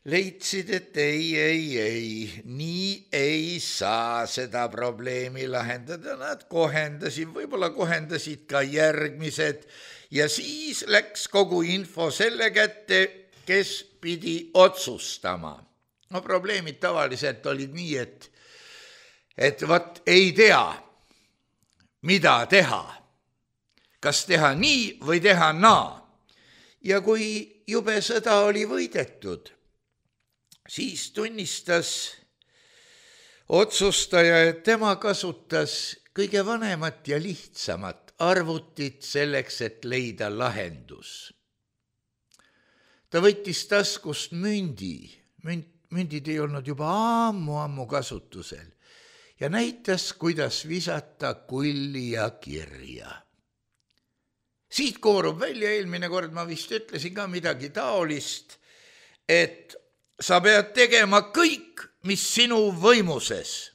leidsid, et ei, ei, ei, nii ei saa seda probleemi lahendada. Nad kohendasid, võib-olla kohendasid ka järgmised ja siis läks kogu info selle kätte, kes pidi otsustama. No probleemid tavaliselt olid nii, et, et vat ei tea, mida teha. Kas teha nii või teha naa. Ja kui jube sõda oli võidetud, siis tunnistas otsustaja, et tema kasutas kõige vanemat ja lihtsamat arvutit selleks, et leida lahendus. Ta võttis taskust mündi, münd, mündid ei olnud juba ammu-ammu kasutusel ja näitas, kuidas visata kulli ja kirja. Siit koorub välja, eelmine kord ma vist ütlesin ka midagi taolist, et sa pead tegema kõik, mis sinu võimuses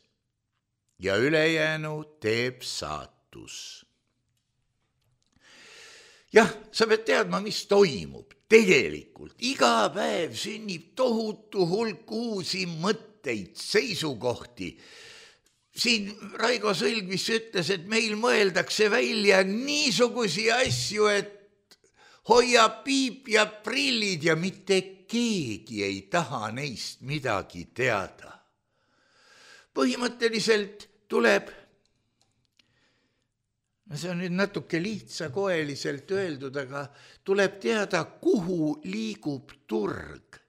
ja ülejäänu teeb saatus. Jah, sa pead teadma, mis toimub tegelikult. Iga päev sünnib tohutu hulk uusi mõtteid, seisukohti. Siin Raigo Sõlgvis ütles, et meil mõeldakse välja niisugusi asju, et hoia piip ja prillid ja mitte keegi ei taha neist midagi teada. Põhimõtteliselt tuleb, see on nüüd natuke lihtsakoeliselt öeldud, aga tuleb teada, kuhu liigub turg.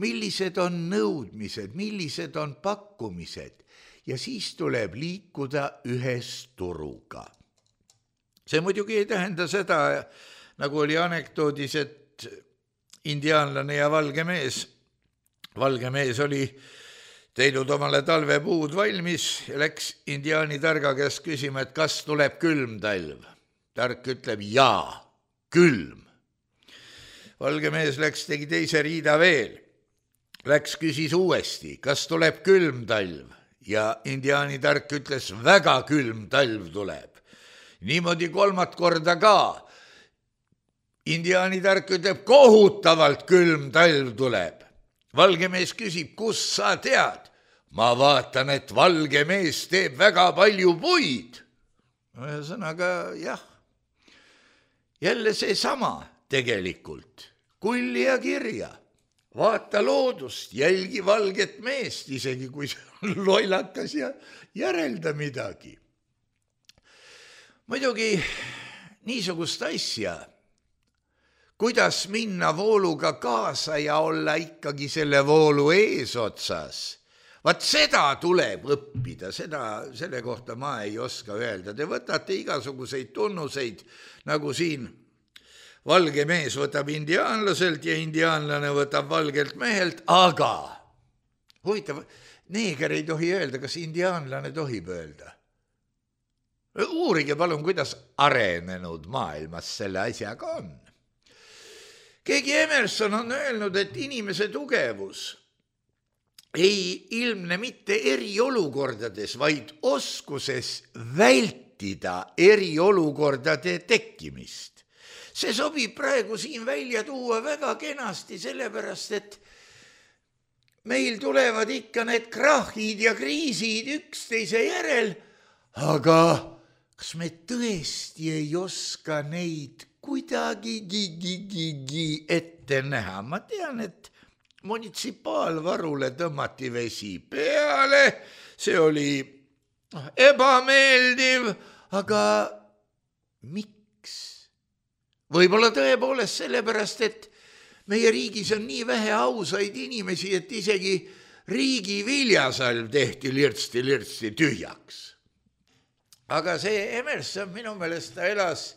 millised on nõudmised, millised on pakkumised ja siis tuleb liikuda ühes turuga. See muidugi ei tähenda seda, nagu oli anekdoodis, et indiaanlane ja valge mees, valge mees oli teinud omale talvepuud valmis ja läks indiaani targa käest küsima, et kas tuleb külm talv. Tark ütleb jaa, külm. Valge mees läks, tegi teise riida veel. Läks küsis uuesti, kas tuleb külm talv ja indiaani tark ütles, väga külm talv tuleb. Niimoodi kolmat korda ka. Indiaani tark ütleb, kohutavalt külm talv tuleb. Valge mees küsib, kus sa tead? Ma vaatan, et valge mees teeb väga palju puid. Ühesõnaga, jah, jälle see sama tegelikult. Kulli ja kirja. Vaata loodust, jälgi valget meest, isegi kui see on loilakas ja järelda midagi. Muidugi niisugust asja, kuidas minna vooluga kaasa ja olla ikkagi selle voolu eesotsas, vaat seda tuleb õppida, seda, selle kohta ma ei oska öelda. Te võtate igasuguseid tunnuseid, nagu siin valge mees võtab indiaanlaselt ja indiaanlane võtab valgelt mehelt, aga huvitav, neeger ei tohi öelda, kas indiaanlane tohib öelda. Uurige palun, kuidas arenenud maailmas selle asjaga on. Keegi Emerson on öelnud, et inimese tugevus ei ilmne mitte eriolukordades, vaid oskuses vältida eriolukordade tekkimist. See sobib praegu siin välja tuua väga kenasti, sellepärast, et meil tulevad ikka need krahhid ja kriisid üksteise järel, aga kas me tõesti ei oska neid kuidagi ette näha? Ma tean, et munitsipaalvarule tõmmati vesi peale, see oli ebameeldiv, aga miks? Võib-olla tõepoolest sellepärast, et meie riigis on nii vähe ausaid inimesi, et isegi riigi viljasalv tehti lirtsti-lirtsti tühjaks. Aga see Emerson minu meelest ta elas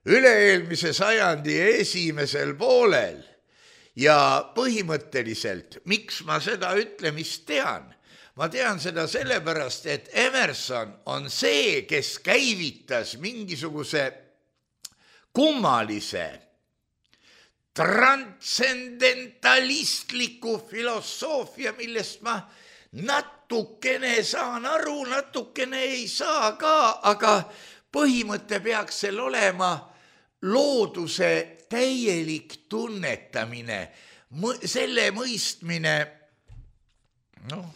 üle-eelmise sajandi esimesel poolel ja põhimõtteliselt, miks ma seda ütlemist tean? Ma tean seda sellepärast, et Emerson on see, kes käivitas mingisuguse kummalise, transcendentalistliku filosoofia, millest ma natukene saan aru, natukene ei saa ka, aga põhimõte peaks seal olema looduse täielik tunnetamine, selle mõistmine, noh,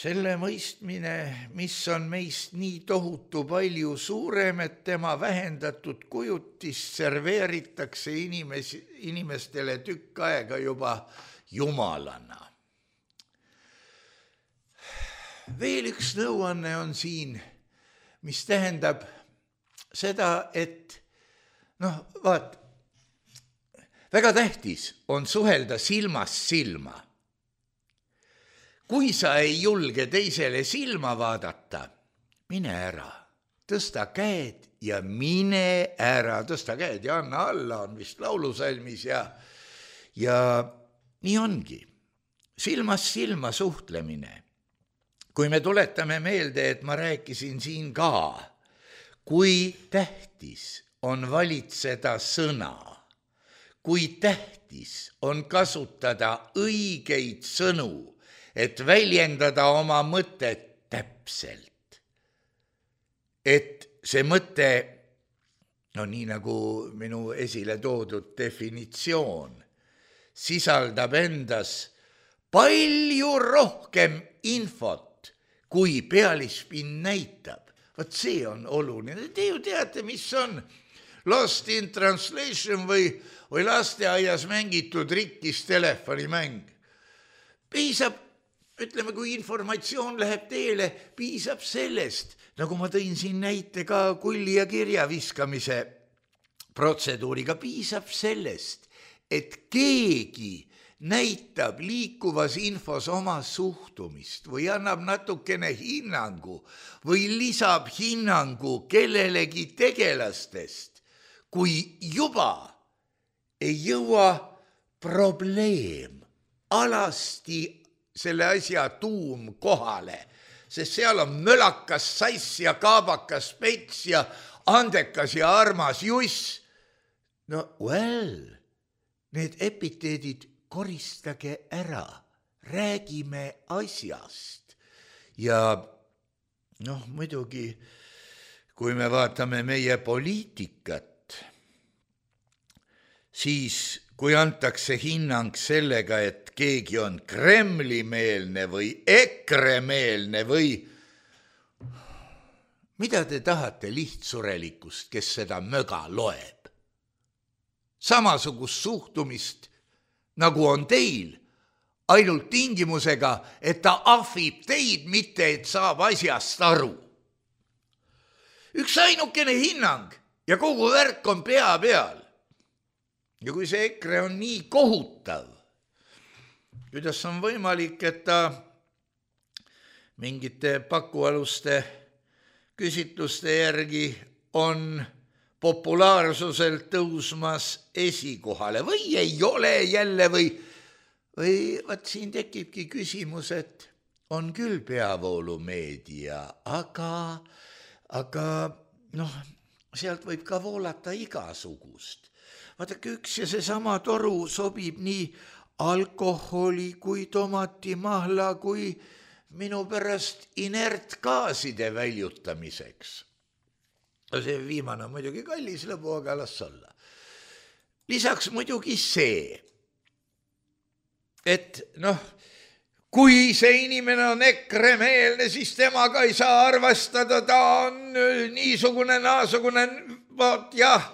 selle mõistmine, mis on meist nii tohutu palju suurem, et tema vähendatud kujutis serveeritakse inimes, inimestele tükk aega juba jumalana. Veel üks nõuanne on siin, mis tähendab seda, et noh, vaat, väga tähtis on suhelda silmast silma. Kui sa ei julge teisele silma vaadata, mine ära, tõsta käed ja mine ära, tõsta käed ja anna alla, on vist laulusalmis ja, ja nii ongi. Silmast silma suhtlemine. Kui me tuletame meelde, et ma rääkisin siin ka, kui tähtis on valitseda sõna, kui tähtis on kasutada õigeid sõnu, et väljendada oma mõtet täpselt. Et see mõte, no nii nagu minu esile toodud definitsioon, sisaldab endas palju rohkem infot, kui pealispinn näitab. Vot see on oluline. Te ju teate, mis on Lost in Translation või, või lasteaias mängitud rikkis telefonimäng. Piisab, ütleme, kui informatsioon läheb teele, piisab sellest, nagu ma tõin siin näite ka kulli ja kirja viskamise protseduuriga, piisab sellest, et keegi näitab liikuvas infos oma suhtumist või annab natukene hinnangu või lisab hinnangu kellelegi tegelastest, kui juba ei jõua probleem alasti selle asja tuum kohale, sest seal on mölakas sass ja kaabakas pets ja andekas ja armas juss. No well, need epiteedid koristage ära, räägime asjast. Ja noh, muidugi, kui me vaatame meie poliitikat, siis kui antakse hinnang sellega, et keegi on Kremli-meelne või EKRE-meelne või mida te tahate lihtsurelikust, kes seda möga loeb? Samasugust suhtumist nagu on teil, ainult tingimusega, et ta ahvib teid, mitte et saab asjast aru. Üks ainukene hinnang ja kogu värk on pea peal. Ja kui see EKRE on nii kohutav, kuidas on võimalik, et ta mingite pakualuste küsitluste järgi on populaarsuselt tõusmas esikohale või ei ole jälle või, või vaat siin tekibki küsimus, et on küll peavoolumeedia, aga, aga noh, sealt võib ka voolata igasugust. Vaadake, üks ja seesama toru sobib nii alkoholi kui tomatimahla kui minu pärast inertgaaside väljutamiseks. See viimane on muidugi kallis lõbu, aga las olla. Lisaks muidugi see, et noh, kui see inimene on EKRE-meelne, siis temaga ei saa arvestada, ta on niisugune, naasugune, vaat jah,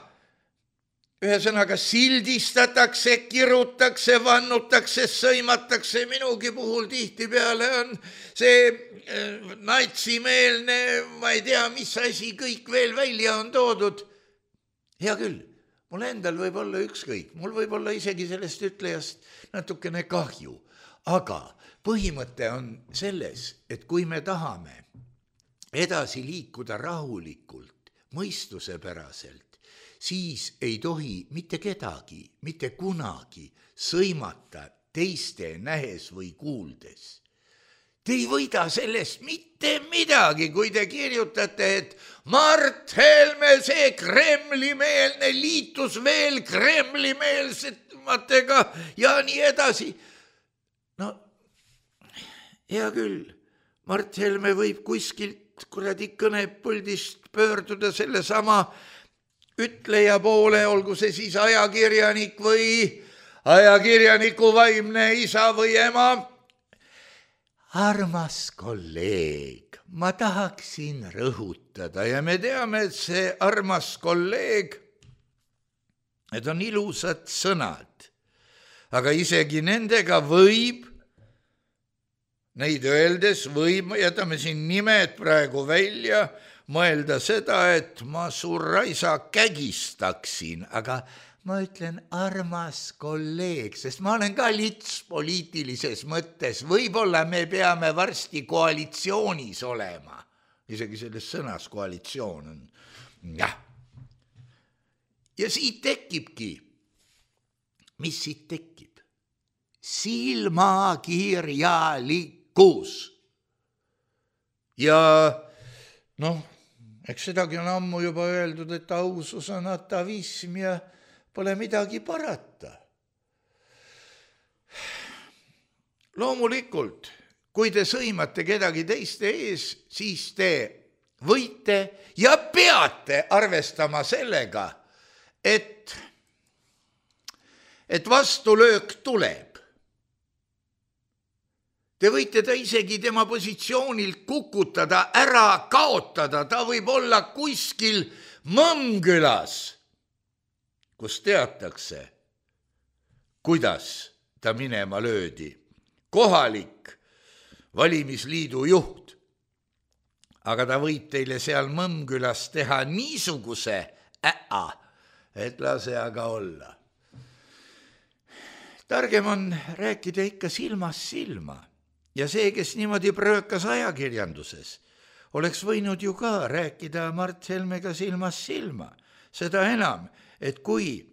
ühesõnaga sildistatakse, kirutakse, vannutakse, sõimatakse, minugi puhul tihti peale on see natsimeelne, ma ei tea, mis asi kõik veel välja on toodud. Hea küll, mul endal võib olla ükskõik, mul võib olla isegi sellest ütlejast natukene kahju, aga põhimõte on selles, et kui me tahame edasi liikuda rahulikult, mõistusepäraselt, siis ei tohi mitte kedagi, mitte kunagi sõimata teiste nähes või kuuldes. Te ei võida sellest mitte midagi, kui te kirjutate, et Mart Helme, see Kremli-meelne liitus veel Kremli-meelsetmatega ja nii edasi. No, hea küll, Mart Helme võib kuskilt kuradi kõnepuldist pöörduda selle sama ütleja poole, olgu see siis ajakirjanik või ajakirjaniku vaimne isa või ema. Armas kolleeg, ma tahaksin rõhutada ja me teame, et see armas kolleeg, need on ilusad sõnad, aga isegi nendega võib, neid öeldes võib, jätame siin nimed praegu välja, mõelda seda, et ma su raisa kägistaksin, aga ma ütlen armas kolleeg, sest ma olen ka lits poliitilises mõttes, võib-olla me peame varsti koalitsioonis olema, isegi selles sõnas koalitsioon on, jah. Ja siit tekibki, mis siit tekib? Silmakirjalikkus. Ja noh, eks sedagi on ammu juba öeldud, et ausus on atavism ja pole midagi parata. Loomulikult, kui te sõimate kedagi teiste ees, siis te võite ja peate arvestama sellega, et, et vastulöök tuleb. Te võite ta isegi tema positsioonilt kukutada, ära kaotada, ta võib olla kuskil Mõmmkülas, kus teatakse, kuidas ta minema löödi. Kohalik valimisliidu juht. Aga ta võib teile seal Mõmmkülas teha niisuguse äa, et lase aga olla. targem on rääkida ikka silmast silma ja see, kes niimoodi pröökas ajakirjanduses, oleks võinud ju ka rääkida Mart Helmega silmast silma. Seda enam, et kui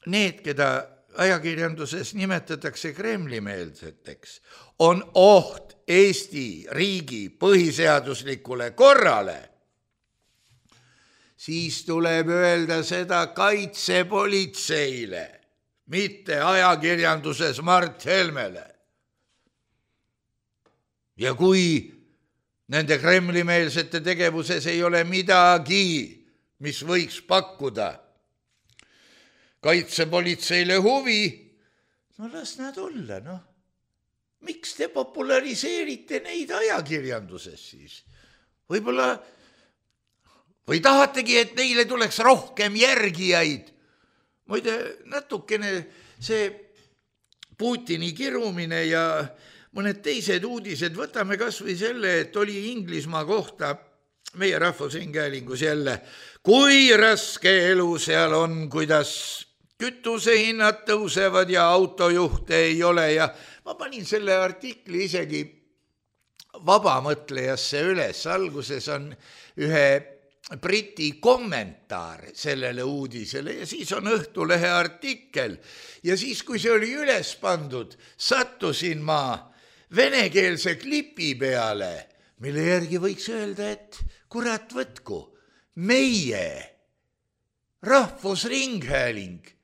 need, keda ajakirjanduses nimetatakse Kremli-meelseteks, on oht Eesti riigi põhiseaduslikule korrale, siis tuleb öelda seda kaitsepolitseile, mitte ajakirjanduses Mart Helmele. Ja kui nende Kremli-meelsete tegevuses ei ole midagi, mis võiks pakkuda kaitsepolitseile huvi, no las nad olla, noh. Miks te populariseerite neid ajakirjanduses siis? Võib-olla, või tahategi, et neile tuleks rohkem järgijaid? Muide, natukene see Putini kirumine ja mõned teised uudised, võtame kas või selle, et oli Inglismaa kohta meie Rahvushäälingus jälle, kui raske elu seal on, kuidas kütusehinnad tõusevad ja autojuhte ei ole ja ma panin selle artikli isegi vabamõtlejasse üles. Alguses on ühe Briti kommentaar sellele uudisele ja siis on Õhtulehe artikkel ja siis, kui see oli üles pandud, sattusin ma venekeelse klipi peale, mille järgi võiks öelda, et kurat võtku, meie Rahvusringhääling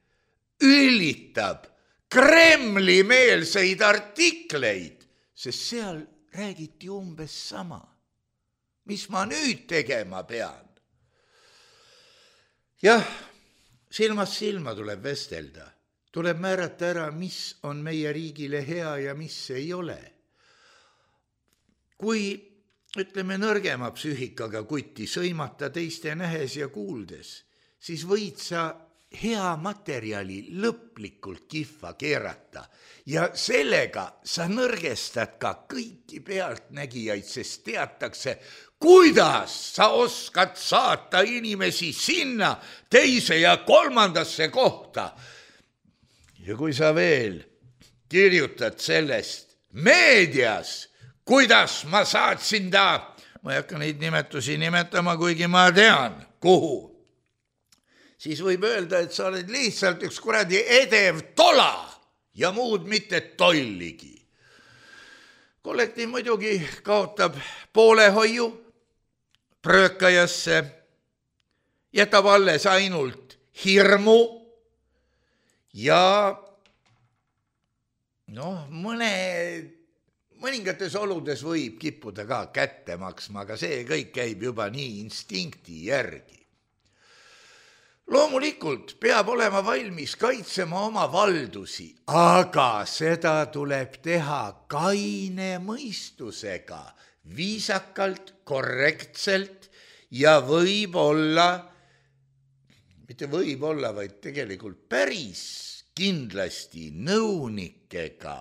üllitab Kremli-meelseid artikleid, sest seal räägiti umbes sama. Mis ma nüüd tegema pean? Jah, silmast silma tuleb vestelda. Tuleb määrata ära, mis on meie riigile hea ja mis ei ole. Kui, ütleme, nõrgema psüühikaga kutti sõimata teiste nähes ja kuuldes, siis võid sa hea materjali lõplikult kihva keerata ja sellega sa nõrgestad ka kõiki pealtnägijaid, sest teatakse, kuidas sa oskad saata inimesi sinna teise ja kolmandasse kohta. Ja kui sa veel kirjutad sellest meedias, kuidas ma saatsin ta, ma ei hakka neid nimetusi nimetama, kuigi ma tean, kuhu, siis võib öelda, et sa oled lihtsalt üks kuradi edev tola ja muud mitte tolligi. Kollektiiv muidugi kaotab poolehoiu pröökajasse, jätab alles ainult hirmu ja noh, mõne, mõningates oludes võib kippuda ka kätte maksma, aga see kõik käib juba nii instinkti järgi. Loomulikult peab olema valmis kaitsema oma valdusi, aga seda tuleb teha kaine mõistusega, viisakalt, korrektselt ja võib-olla, mitte võib-olla, vaid tegelikult päris kindlasti nõunikega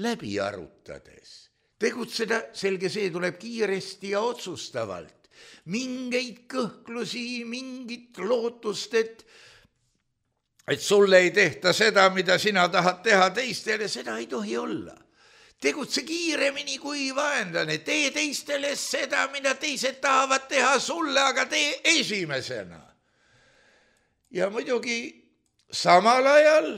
läbi arutades. Tegutseda, selge see, tuleb kiiresti ja otsustavalt. Mingeid kõhklusi, mingit lootust, et, et sulle ei tehta seda, mida sina tahad teha teistele, seda ei tohi olla. Tegutse kiiremini kui vaenlane, tee teistele seda, mida teised tahavad teha sulle, aga tee esimesena. Ja muidugi samal ajal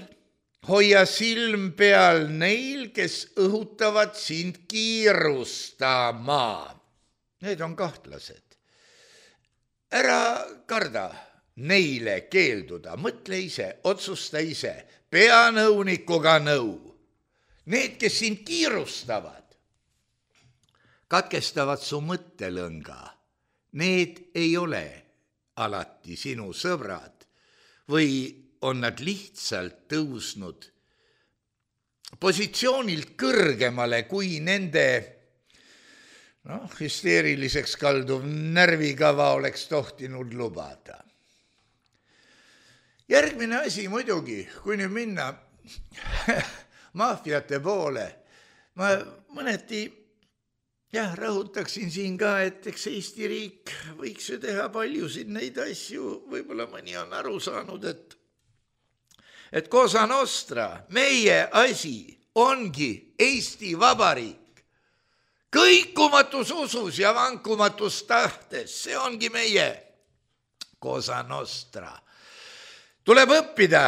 hoia silm peal neil, kes õhutavad sind kiirustama. Need on kahtlased. Ära karda neile keelduda, mõtle ise, otsusta ise, pea nõunikuga nõu. Need, kes sind kiirustavad, katkestavad su mõttelõnga. Need ei ole alati sinu sõbrad või on nad lihtsalt tõusnud positsioonilt kõrgemale kui nende noh, hüsteeriliseks kalduv närvikava oleks tohtinud lubada. Järgmine asi muidugi, kui nüüd minna maafiate poole, ma mõneti jah, rõhutaksin siin ka, et eks Eesti riik võiks ju teha paljusid neid asju, võib-olla mõni on aru saanud, et et Cosa Nostra, meie asi, ongi Eesti Vabariik. Kõikumatus usus ja vankumatus tahtes, see ongi meie Cosa Nostra. Tuleb õppida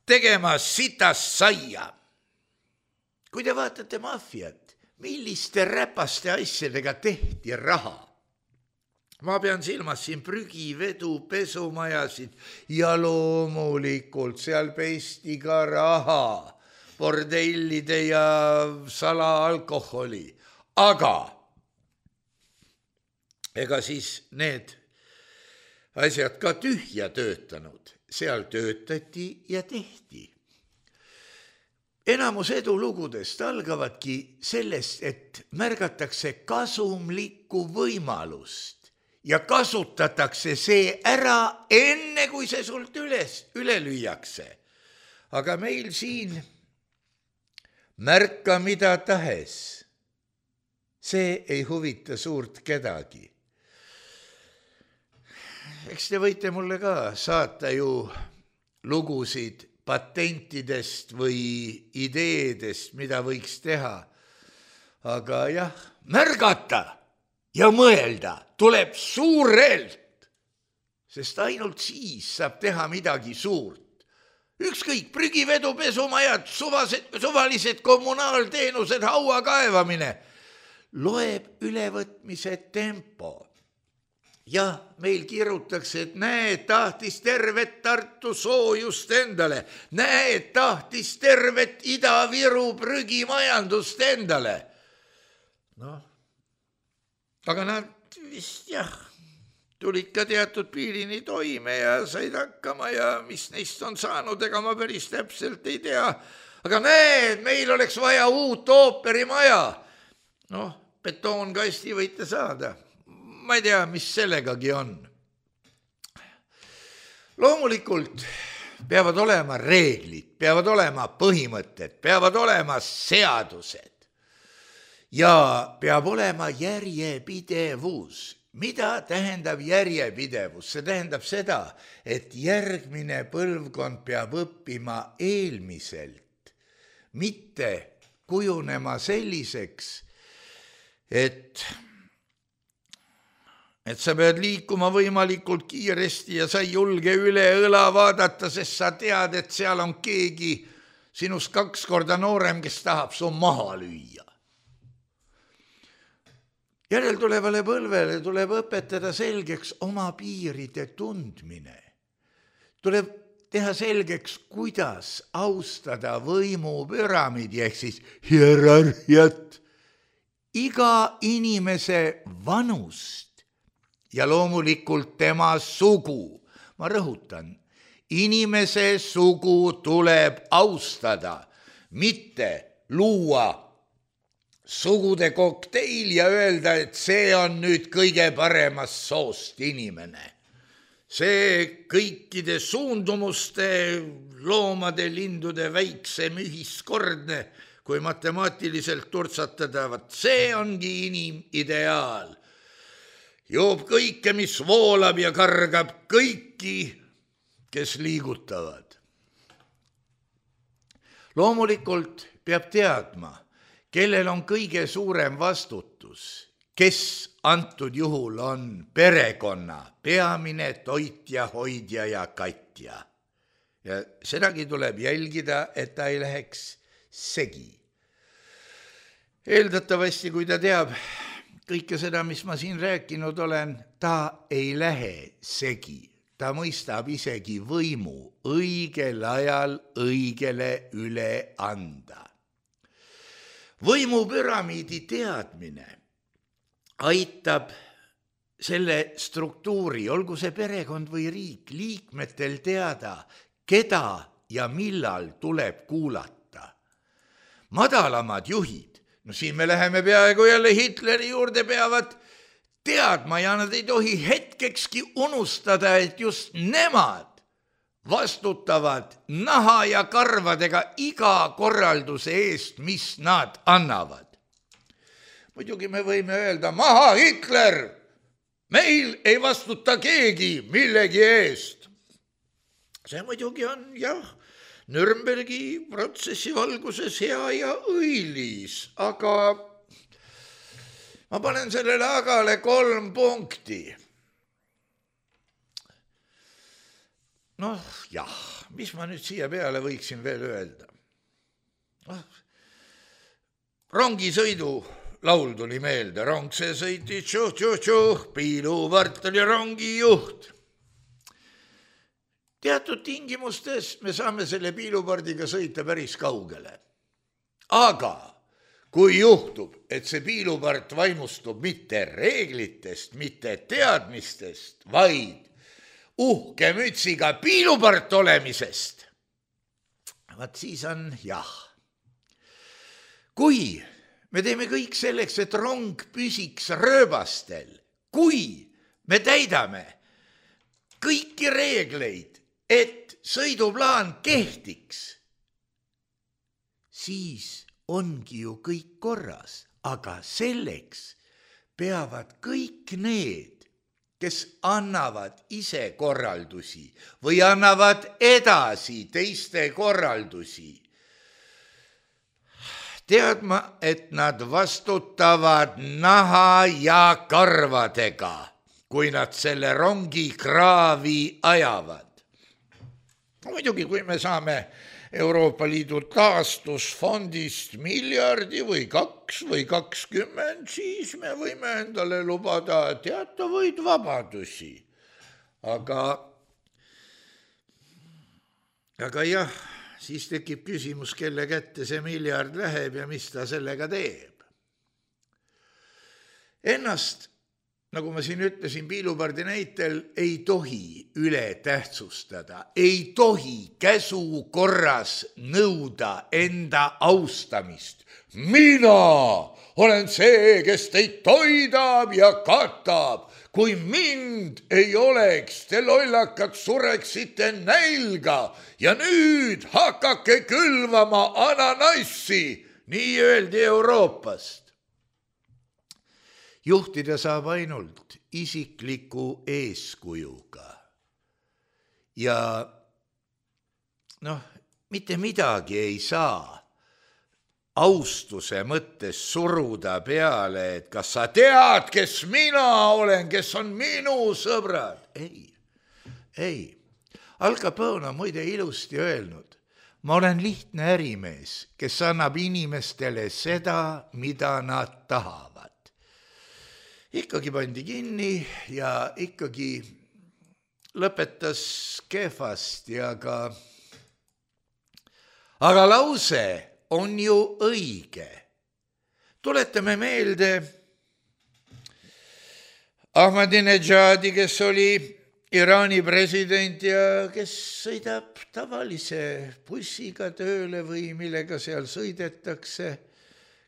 tegema sitast saia. Kui te vaatate maffiat, milliste räpaste asjadega tehti raha? Ma pean silmas siin prügivedu, pesumajasid ja loomulikult seal pesti ka raha, bordellide ja salaalkoholi. Aga ega siis need asjad ka tühja töötanud, seal töötati ja tehti. Enamus edulugudest algavadki sellest, et märgatakse kasumlikku võimalust ja kasutatakse see ära enne, kui see sult üles, üle lüüakse. Aga meil siin märka mida tahes, see ei huvita suurt kedagi. Eks te võite mulle ka saata ju lugusid patentidest või ideedest, mida võiks teha. Aga jah, märgata ja mõelda tuleb suurelt, sest ainult siis saab teha midagi suurt. Ükskõik, prügivedu, pesumajad, suvased, suvalised kommunaalteenused, haua kaevamine, loeb ülevõtmise tempo. Jah, meil kirutakse, et näe, tahtis tervet Tartu soojust endale, näe, tahtis tervet Ida-Viru prügimajandust endale. Noh, aga nad vist jah, tulid ka teatud piirini toime ja said hakkama ja mis neist on saanud, ega ma päris täpselt ei tea. Aga näe, meil oleks vaja uut ooperimaja. Noh, betoonkasti võite saada. Ma ei tea, mis sellegagi on. Loomulikult peavad olema reeglid, peavad olema põhimõtted, peavad olema seadused ja peab olema järjepidevus. Mida tähendab järjepidevus? See tähendab seda, et järgmine põlvkond peab õppima eelmiselt, mitte kujunema selliseks, et et sa pead liikuma võimalikult kiiresti ja sa ei julge üle õla vaadata, sest sa tead, et seal on keegi sinust kaks korda noorem, kes tahab su maha lüüa. Järeltulevale põlvele tuleb õpetada selgeks oma piiride tundmine. Tuleb teha selgeks, kuidas austada võimupüramiidi ehk siis hierarhiat, iga inimese vanust ja loomulikult tema sugu. Ma rõhutan, inimese sugu tuleb austada, mitte luua sugude kokteil ja öelda, et see on nüüd kõige paremas soost inimene. See kõikide suundumuste, loomade, lindude väiksem ühiskordne, kui matemaatiliselt turtsatada, see ongi inimideaal. Joob kõike, mis voolab ja kargab kõiki, kes liigutavad. Loomulikult peab teadma, kellel on kõige suurem vastutus, kes antud juhul on perekonna peamine toitja, hoidja ja katja. Ja sedagi tuleb jälgida, et ta ei läheks segi. Eeldatavasti, kui ta teab kõike seda, mis ma siin rääkinud olen, ta ei lähe segi. Ta mõistab isegi võimu õigel ajal õigele üle anda. Võimupüramiidi teadmine aitab selle struktuuri, olgu see perekond või riik, liikmetel teada, keda ja millal tuleb kuulata. Madalamad juhid, no siin me läheme peaaegu jälle Hitleri juurde, peavad teadma ja nad ei tohi hetkekski unustada, et just nemad vastutavad naha ja karvadega iga korralduse eest, mis nad annavad. Muidugi me võime öelda, maha Hitler, meil ei vastuta keegi millegi eest. See muidugi on jah Nürnbergi protsessi valguses hea ja õilis, aga ma panen sellele agale kolm punkti. Noh, jah, mis ma nüüd siia peale võiksin veel öelda? Oh, rongisõidu laul tuli meelde, rong see sõiti tšuh-tšuh-tšuh, Piiluvart oli rongijuht. Teatud tingimustes me saame selle piilupardiga sõita päris kaugele. Aga kui juhtub, et see piilupart vaimustub mitte reeglitest, mitte teadmistest, vaid uhke mütsiga piilupart olemisest, vaat siis on jah. Kui me teeme kõik selleks, et rong püsiks rööbastel, kui me täidame kõiki reegleid, et sõiduplaan kehtiks, siis ongi ju kõik korras, aga selleks peavad kõik need, kes annavad ise korraldusi või annavad edasi teiste korraldusi, teadma, et nad vastutavad naha ja karvadega, kui nad selle rongi kraavi ajavad. Muidugi, kui me saame Euroopa Liidu taastusfondist miljardi või kaks või kakskümmend, siis me võime endale lubada teatavaid vabadusi. Aga, aga jah, siis tekib küsimus, kelle kätte see miljard läheb ja mis ta sellega teeb. Ennast, nagu ma siin ütlesin piilupardi näitel, ei tohi üle tähtsustada, ei tohi käsu korras nõuda enda austamist. Mina olen see, kes teid toidab ja katab. Kui mind ei oleks, te lollakad sureksite nälga ja nüüd hakake külvama ananassi, nii öeldi Euroopast. Juhtida saab ainult isikliku eeskujuga. Ja noh, mitte midagi ei saa austuse mõttes suruda peale, et kas sa tead, kes mina olen, kes on minu sõbrad. Ei, ei. Al Capone on muide ilusti öelnud, ma olen lihtne ärimees, kes annab inimestele seda, mida nad tahavad. Ikkagi pandi kinni ja ikkagi lõpetas kehvasti, aga, aga lause on ju õige. Tuletame meelde Ahmadinejadi, kes oli Iraani president ja kes sõidab tavalise bussiga tööle või millega seal sõidetakse,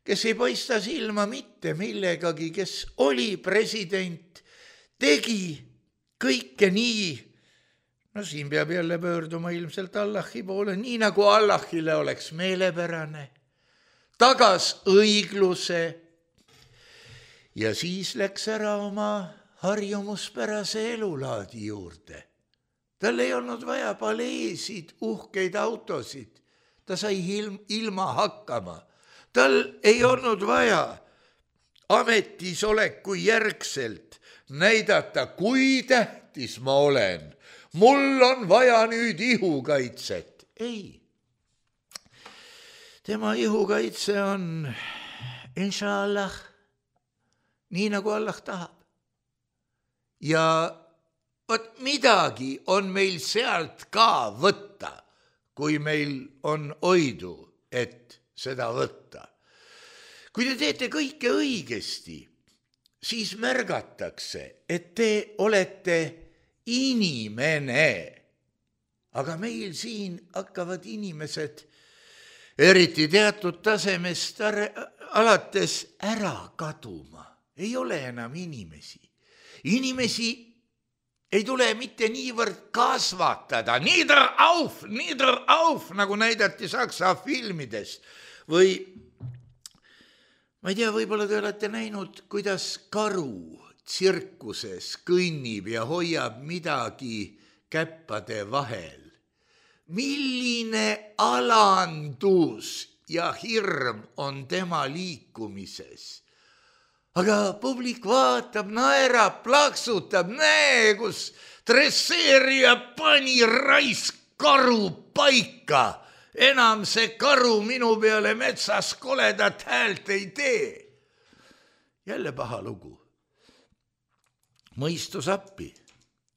kes ei paista silma mitte millegagi, kes oli president, tegi kõike nii, no siin peab jälle pöörduma ilmselt Allahi poole, nii nagu Allahile oleks meelepärane, tagas õigluse ja siis läks ära oma harjumuspärase elulaadi juurde. Tal ei olnud vaja paleesid, uhkeid autosid, ta sai ilma hakkama. Tal ei olnud vaja ametisoleku järgselt näidata, kui tähtis ma olen. Mul on vaja nüüd ihukaitset. Ei. Tema ihukaitse on, inshallah, nii nagu Allah tahab. Ja võt midagi on meil sealt ka võtta, kui meil on oidu, et seda võtta. Kui te teete kõike õigesti, siis märgatakse, et te olete inimene. Aga meil siin hakkavad inimesed eriti teatud tasemest alates ära kaduma. Ei ole enam inimesi. Inimesi ei tule mitte niivõrd kasvatada. Nieder auf, nieder auf, nagu näidati Saksa filmides. Või, ma ei tea, võib-olla te olete näinud, kuidas karu tsirkuses kõnnib ja hoiab midagi käppade vahel. milline alandus ja hirm on tema liikumises. Aga publik vaatab, naerab, plaksutab, näe, kus dresseerija pani raisk karu paika. Enam see karu minu peale metsas koledat häält ei tee. Jälle paha lugu. Mõistus appi.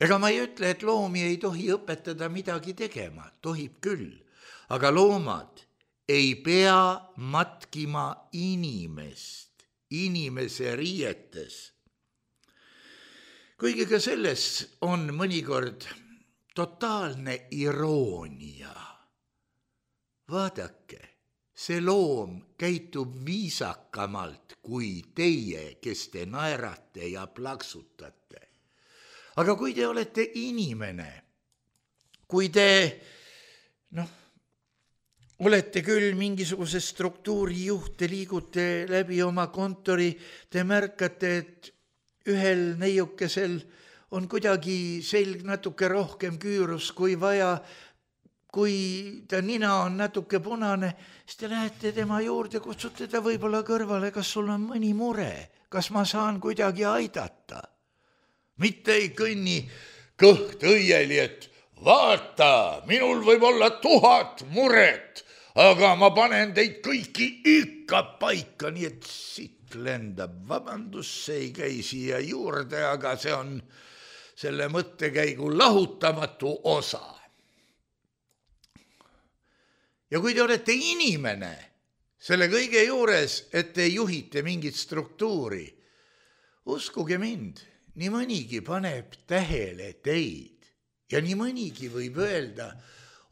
Ega ma ei ütle, et loomi ei tohi õpetada midagi tegema. Tohib küll. Aga loomad ei pea matkima inimest. Inimese riietes. Kuigi ka selles on mõnikord totaalne iroonia. Vaadake, see loom käitub viisakamalt kui teie, kes te naerate ja plaksutate. Aga kui te olete inimene, kui te, noh, olete küll mingisuguse struktuuri juht, te liigute läbi oma kontori, te märkate, et ühel neiukesel on kuidagi selg natuke rohkem küürus kui vaja, kui ta nina on natuke punane, siis te lähete tema juurde, kutsute ta võib-olla kõrvale, kas sul on mõni mure, kas ma saan kuidagi aidata. Mitte ei kõnni kõht õieli, et vaata, minul võib olla tuhat muret, aga ma panen teid kõiki ikka paika, nii et siit lendab. Vabandus, see ei käi siia juurde, aga see on selle mõttekäigu lahutamatu osa. Ja kui te olete inimene selle kõige juures, et te juhite mingit struktuuri, uskuge mind, nii mõnigi paneb tähele teid ja nii mõnigi võib öelda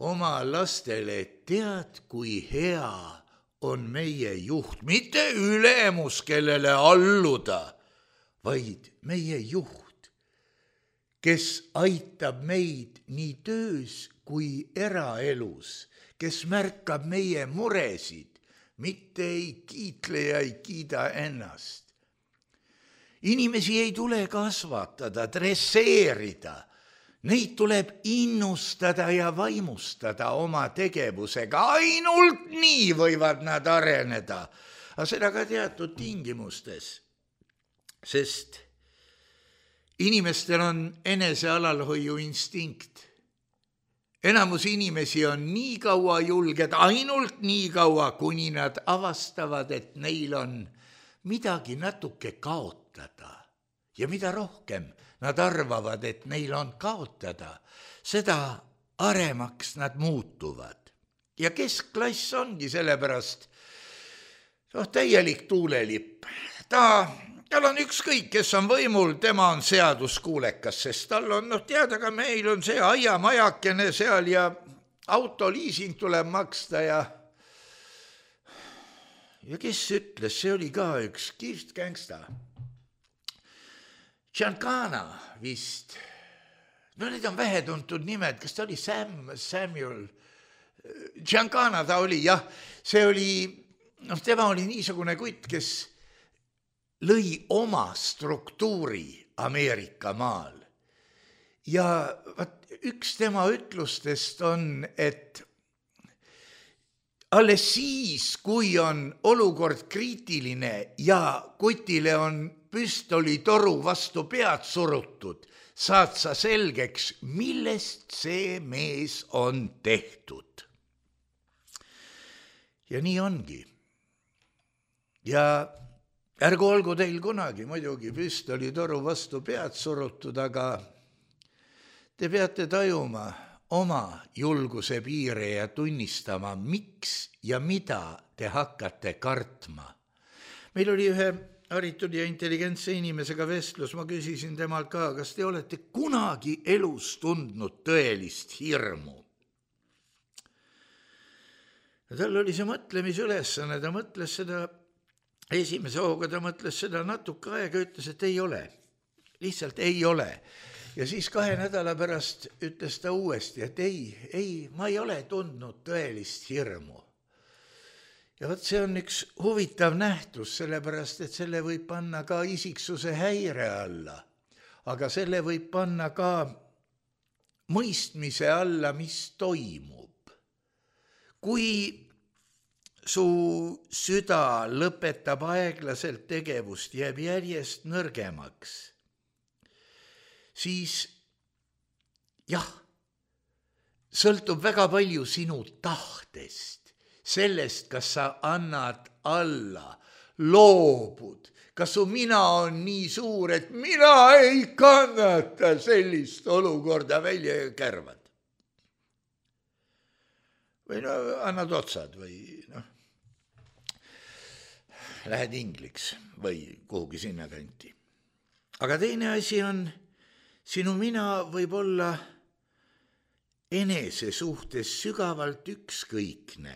oma lastele, tead, kui hea on meie juht, mitte ülemus, kellele alluda, vaid meie juht, kes aitab meid nii töös kui eraelus, kes märkab meie muresid, mitte ei kiitle ja ei kiida ennast. Inimesi ei tule kasvatada, dresseerida. Neid tuleb innustada ja vaimustada oma tegevusega. Ainult nii võivad nad areneda. Aga seda ka teatud tingimustes. Sest inimestel on enesealalhoiu instinkt. Enamus inimesi on nii kaua julged, ainult nii kaua, kuni nad avastavad, et neil on midagi natuke kaotada. Ja mida rohkem nad arvavad, et neil on kaotada, seda aremaks nad muutuvad. Ja keskklass ongi sellepärast noh, täielik tuulelipp. Ta, tal on ükskõik, kes on võimul, tema on seaduskuulekas, sest tal on, noh teada, ka meil on see aiamajakene seal ja autoliising tuleb maksta ja ja kes ütles, see oli ka üks kihvt gängsta. Giancana vist, no need on vähetuntud nimed, kas ta oli Sam, Samuel, Giancana ta oli, jah, see oli, noh, tema oli niisugune kutt, kes lõi oma struktuuri Ameerika maal. Ja vaat, üks tema ütlustest on, et alles siis, kui on olukord kriitiline ja kutile on püstolitoru vastu pead surutud, saad sa selgeks, millest see mees on tehtud. Ja nii ongi. Ja ärgu olgu teil kunagi muidugi püstolitoru vastu pead surutud, aga te peate tajuma oma julguse piire ja tunnistama, miks ja mida te hakkate kartma. Meil oli ühe haritud ja intelligentse inimesega vestlus, ma küsisin temalt ka, kas te olete kunagi elus tundnud tõelist hirmu? Ja tal oli see mõtlemisülesanne, ta mõtles seda esimese hooga, ta mõtles seda natuke aega, ütles, et ei ole. Lihtsalt ei ole. Ja siis kahe nädala pärast ütles ta uuesti, et ei, ei, ma ei ole tundnud tõelist hirmu. Ja võt see on üks huvitav nähtus, sellepärast, et selle võib panna ka isiksuse häire alla, aga selle võib panna ka mõistmise alla, mis toimub. kui su süda lõpetab aeglaselt tegevust, jääb järjest nõrgemaks, siis jah, sõltub väga palju sinu tahtest, sellest, kas sa annad alla, loobud, kas su mina on nii suur, et mina ei kannata sellist olukorda välja ja kärvad. Või no annad otsad või noh, lähed ingliks või kuhugi sinna kanti. Aga teine asi on, sinu mina võib olla enese suhtes sügavalt ükskõikne,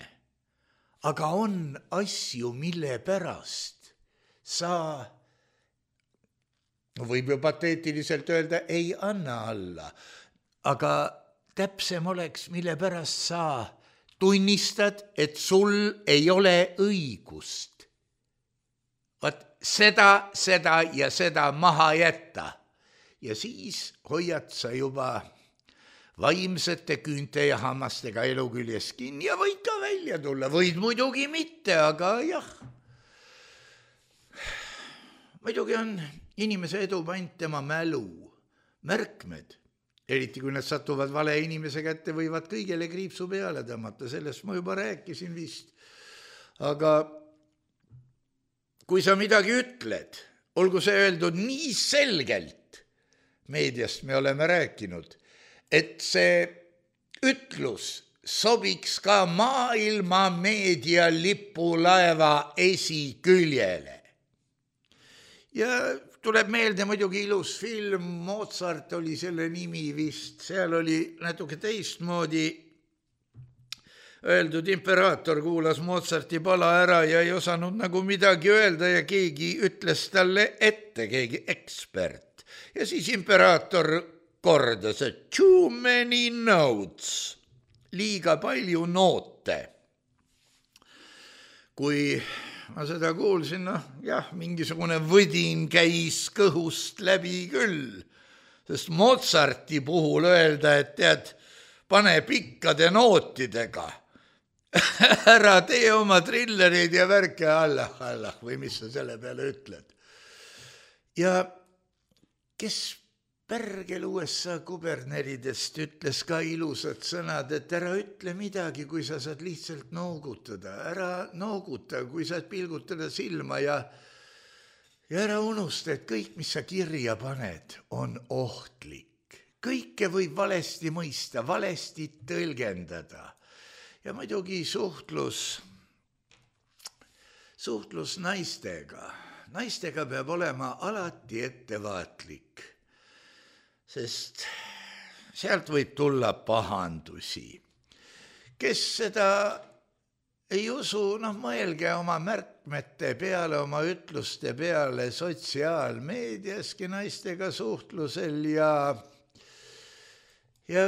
aga on asju, mille pärast sa, võib ju pateetiliselt öelda, ei anna alla, aga täpsem oleks, mille pärast sa tunnistad, et sul ei ole õigust. Vaat seda, seda ja seda maha jätta. Ja siis hoiad sa juba vaimsete küünte ja hammastega elu küljes kinni ja võid ka välja tulla. Võid muidugi mitte, aga jah. Muidugi on inimese edu pant tema mälu, märkmed. Eriti kui nad satuvad vale inimese kätte, võivad kõigele kriipsu peale tõmmata, sellest ma juba rääkisin vist. Aga kui sa midagi ütled, olgu see öeldud nii selgelt, meediast me oleme rääkinud, et see ütlus sobiks ka maailma meedia lipulaeva esiküljele. Ja tuleb meelde muidugi ilus film, Mozart oli selle nimi vist, seal oli natuke teistmoodi öeldud, imperaator kuulas Mozarti pala ära ja ei osanud nagu midagi öelda ja keegi ütles talle ette, keegi ekspert. Ja siis imperaator kordas, et too many notes, liiga palju noote. Kui ma seda kuulsin, noh, jah, mingisugune võdin käis kõhust läbi küll, sest Mozarti puhul öelda, et tead, pane pikkade nootidega, ära tee oma trillereid ja värke Allah, Allah, või mis sa selle peale ütled. Ja kes pärgel U S A kuberneridest ütles ka ilusad sõnad, et ära ütle midagi, kui sa saad lihtsalt noogutada, ära nooguta, kui saad pilgutada silma ja, ja ära unusta, et kõik, mis sa kirja paned, on ohtlik. Kõike võib valesti mõista, valesti tõlgendada. Ja muidugi suhtlus, suhtlus naistega. Naistega peab olema alati ettevaatlik. Sest sealt võib tulla pahandusi. Kes seda ei usu, noh, mõelge oma märkmete peale, oma ütluste peale sotsiaalmeediaski naistega suhtlusel ja, ja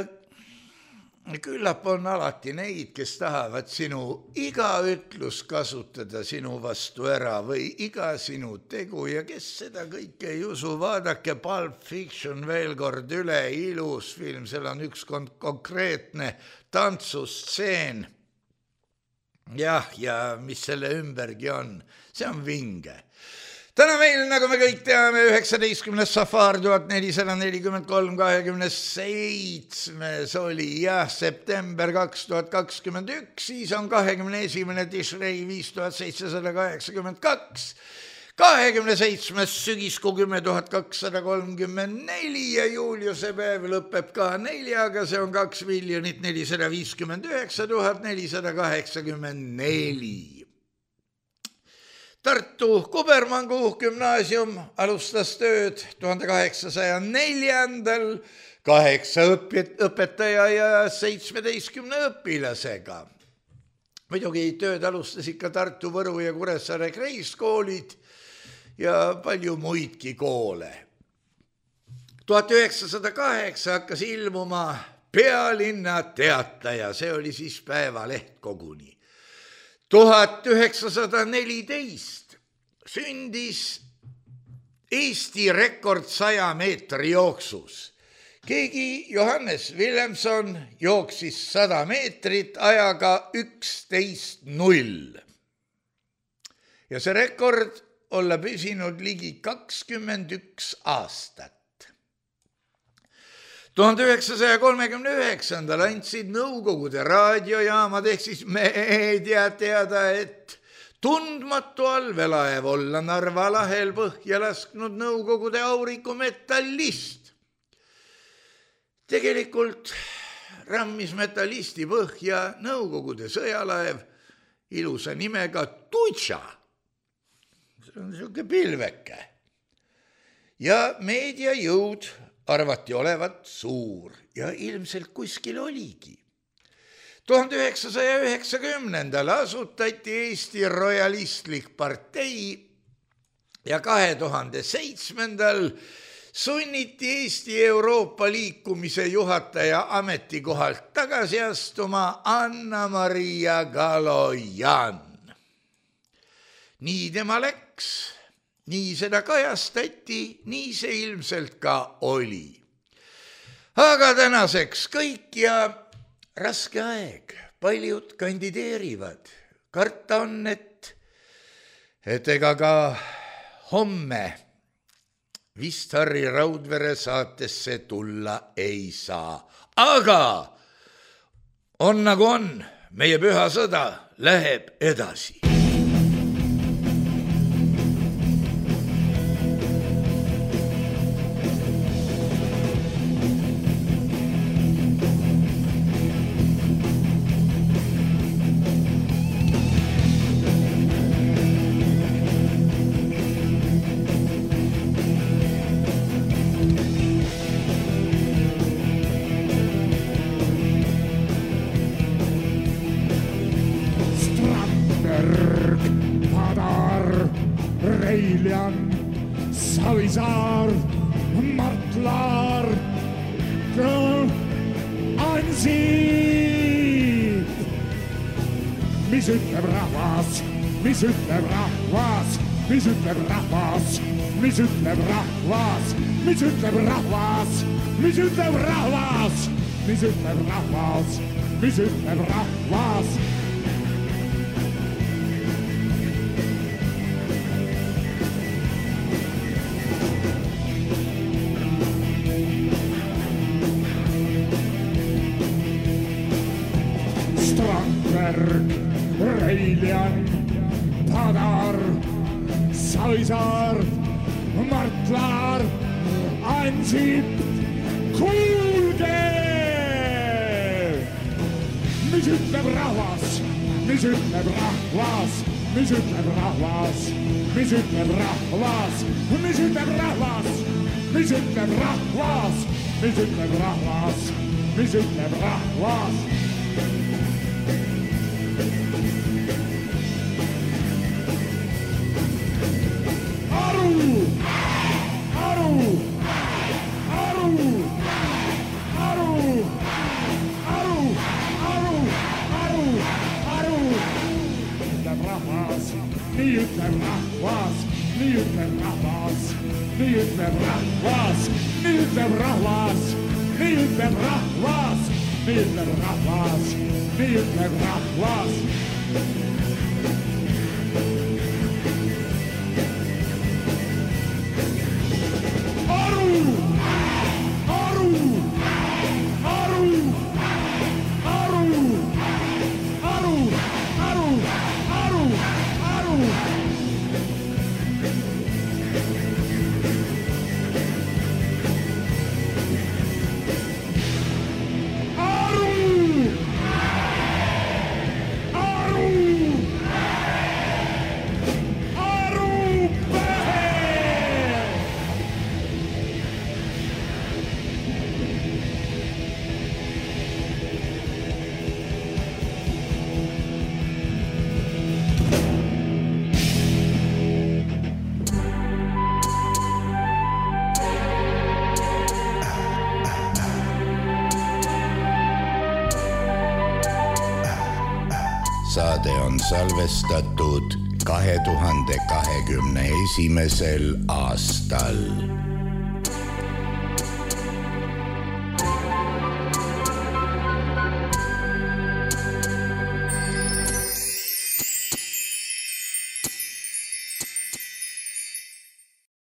küllap on alati neid, kes tahavad sinu iga ütlus kasutada sinu vastu ära või iga sinu tegu ja kes seda kõike ei usu, vaadake Pulp Fiction veel kord üle, ilus film, seal on üks kon- konkreetne tantsustseen. Jah, ja mis selle ümbergi on, see on vinge. Täna meil, nagu me kõik teame, üheksateistkümnes safar tuhat nelisada nelikümmend kolm kakskümmend seitse oli jah, september kaks tuhat kakskümmend üks, siis on kahekümne esimene Tishrei viis tuhat seitsesada kaheksakümmend kaks, kahekümne seitsmes sügiskuu kümme tuhat kakssada kolmkümmend neli ja Juliuse päev lõpeb ka neljaga, see on kaks miljonit nelisada viiskümmend üheksa tuhat nelisada kaheksakümmend neli. Tartu Kubermangu gümnaasium alustas tööd tuhande kaheksasaja neljandal kaheksa õpetaja ja seitsmeteistkümne õpilasega. Muidugi tööd alustas ikka Tartu, Võru ja Kuressaare kreiskoolid ja palju muidki koole. tuhat üheksasada kaheksa hakkas ilmuma Pealinna Teataja, see oli siis päevaleht koguni. tuhat üheksasada neliteist sündis Eesti rekord saja meetri jooksus. keegi Johannes Willemson jooksis sada meetrit ajaga üksteist null. Ja see rekord olla püsinud ligi kakskümmend üks aastat. tuhande üheksasaja kolmekümne üheksandal andsid Nõukogude raadiojaamad ehk siis meedia teada, et tundmatu allveelaev olla Narva lahel põhja lasknud Nõukogude aurikumetallist. Tegelikult rammis metallisti põhja Nõukogude sõjalaev ilusa nimega Tutša. See on niisugune pilveke. Ja meediajõud arvati olevat suur ja ilmselt kuskil oligi. tuhande üheksasaja üheksakümnendal asutati Eesti royalistlik partei ja kahe tuhande seitsmendal sunniti Eesti Euroopa liikumise juhataja ametikohalt tagasi astuma Anna-Maria Galojan. Nii tema läks. Nii seda kajastati, nii see ilmselt ka oli. Aga tänaseks kõik ja raske aeg. Paljud kandideerivad. Karta on, et, et ega ka homme vist Harri Raudvere saatesse tulla ei saa. Aga on nagu on, meie püha sõda läheb edasi. Savisaar, Mart Laar, Ansip. Mis ütleb rahvas, mis ütleb rahvas, mis ütleb rahvas, mis ütleb rahvas, mis ütleb rahvas, mis ütleb rahvas, mis ütleb rahvas, mis ütleb rahvas. Reiljan, Padar, Savisaar, Mart Laar, Ansip, kuulge! Mis ütleb rahvas, mis ütleb rahvas, mis ütleb rahvas, mis ütleb rahvas, mis ütleb rahvas, mis ütleb rahvas, mis ütleb rahvas, mis ütleb rahvas. Nii ütleb rahvas, nii ütleb rahvas, nii ütleb rahvas, nii ütleb rahvas, nii ütleb rahvas, nii ütleb rahvas, nii ütleb rahvas. Aru, aru, aru, aru, aru, aru, aru. Saade on salvestatud kahe tuhande kahekümne esimesel aastal.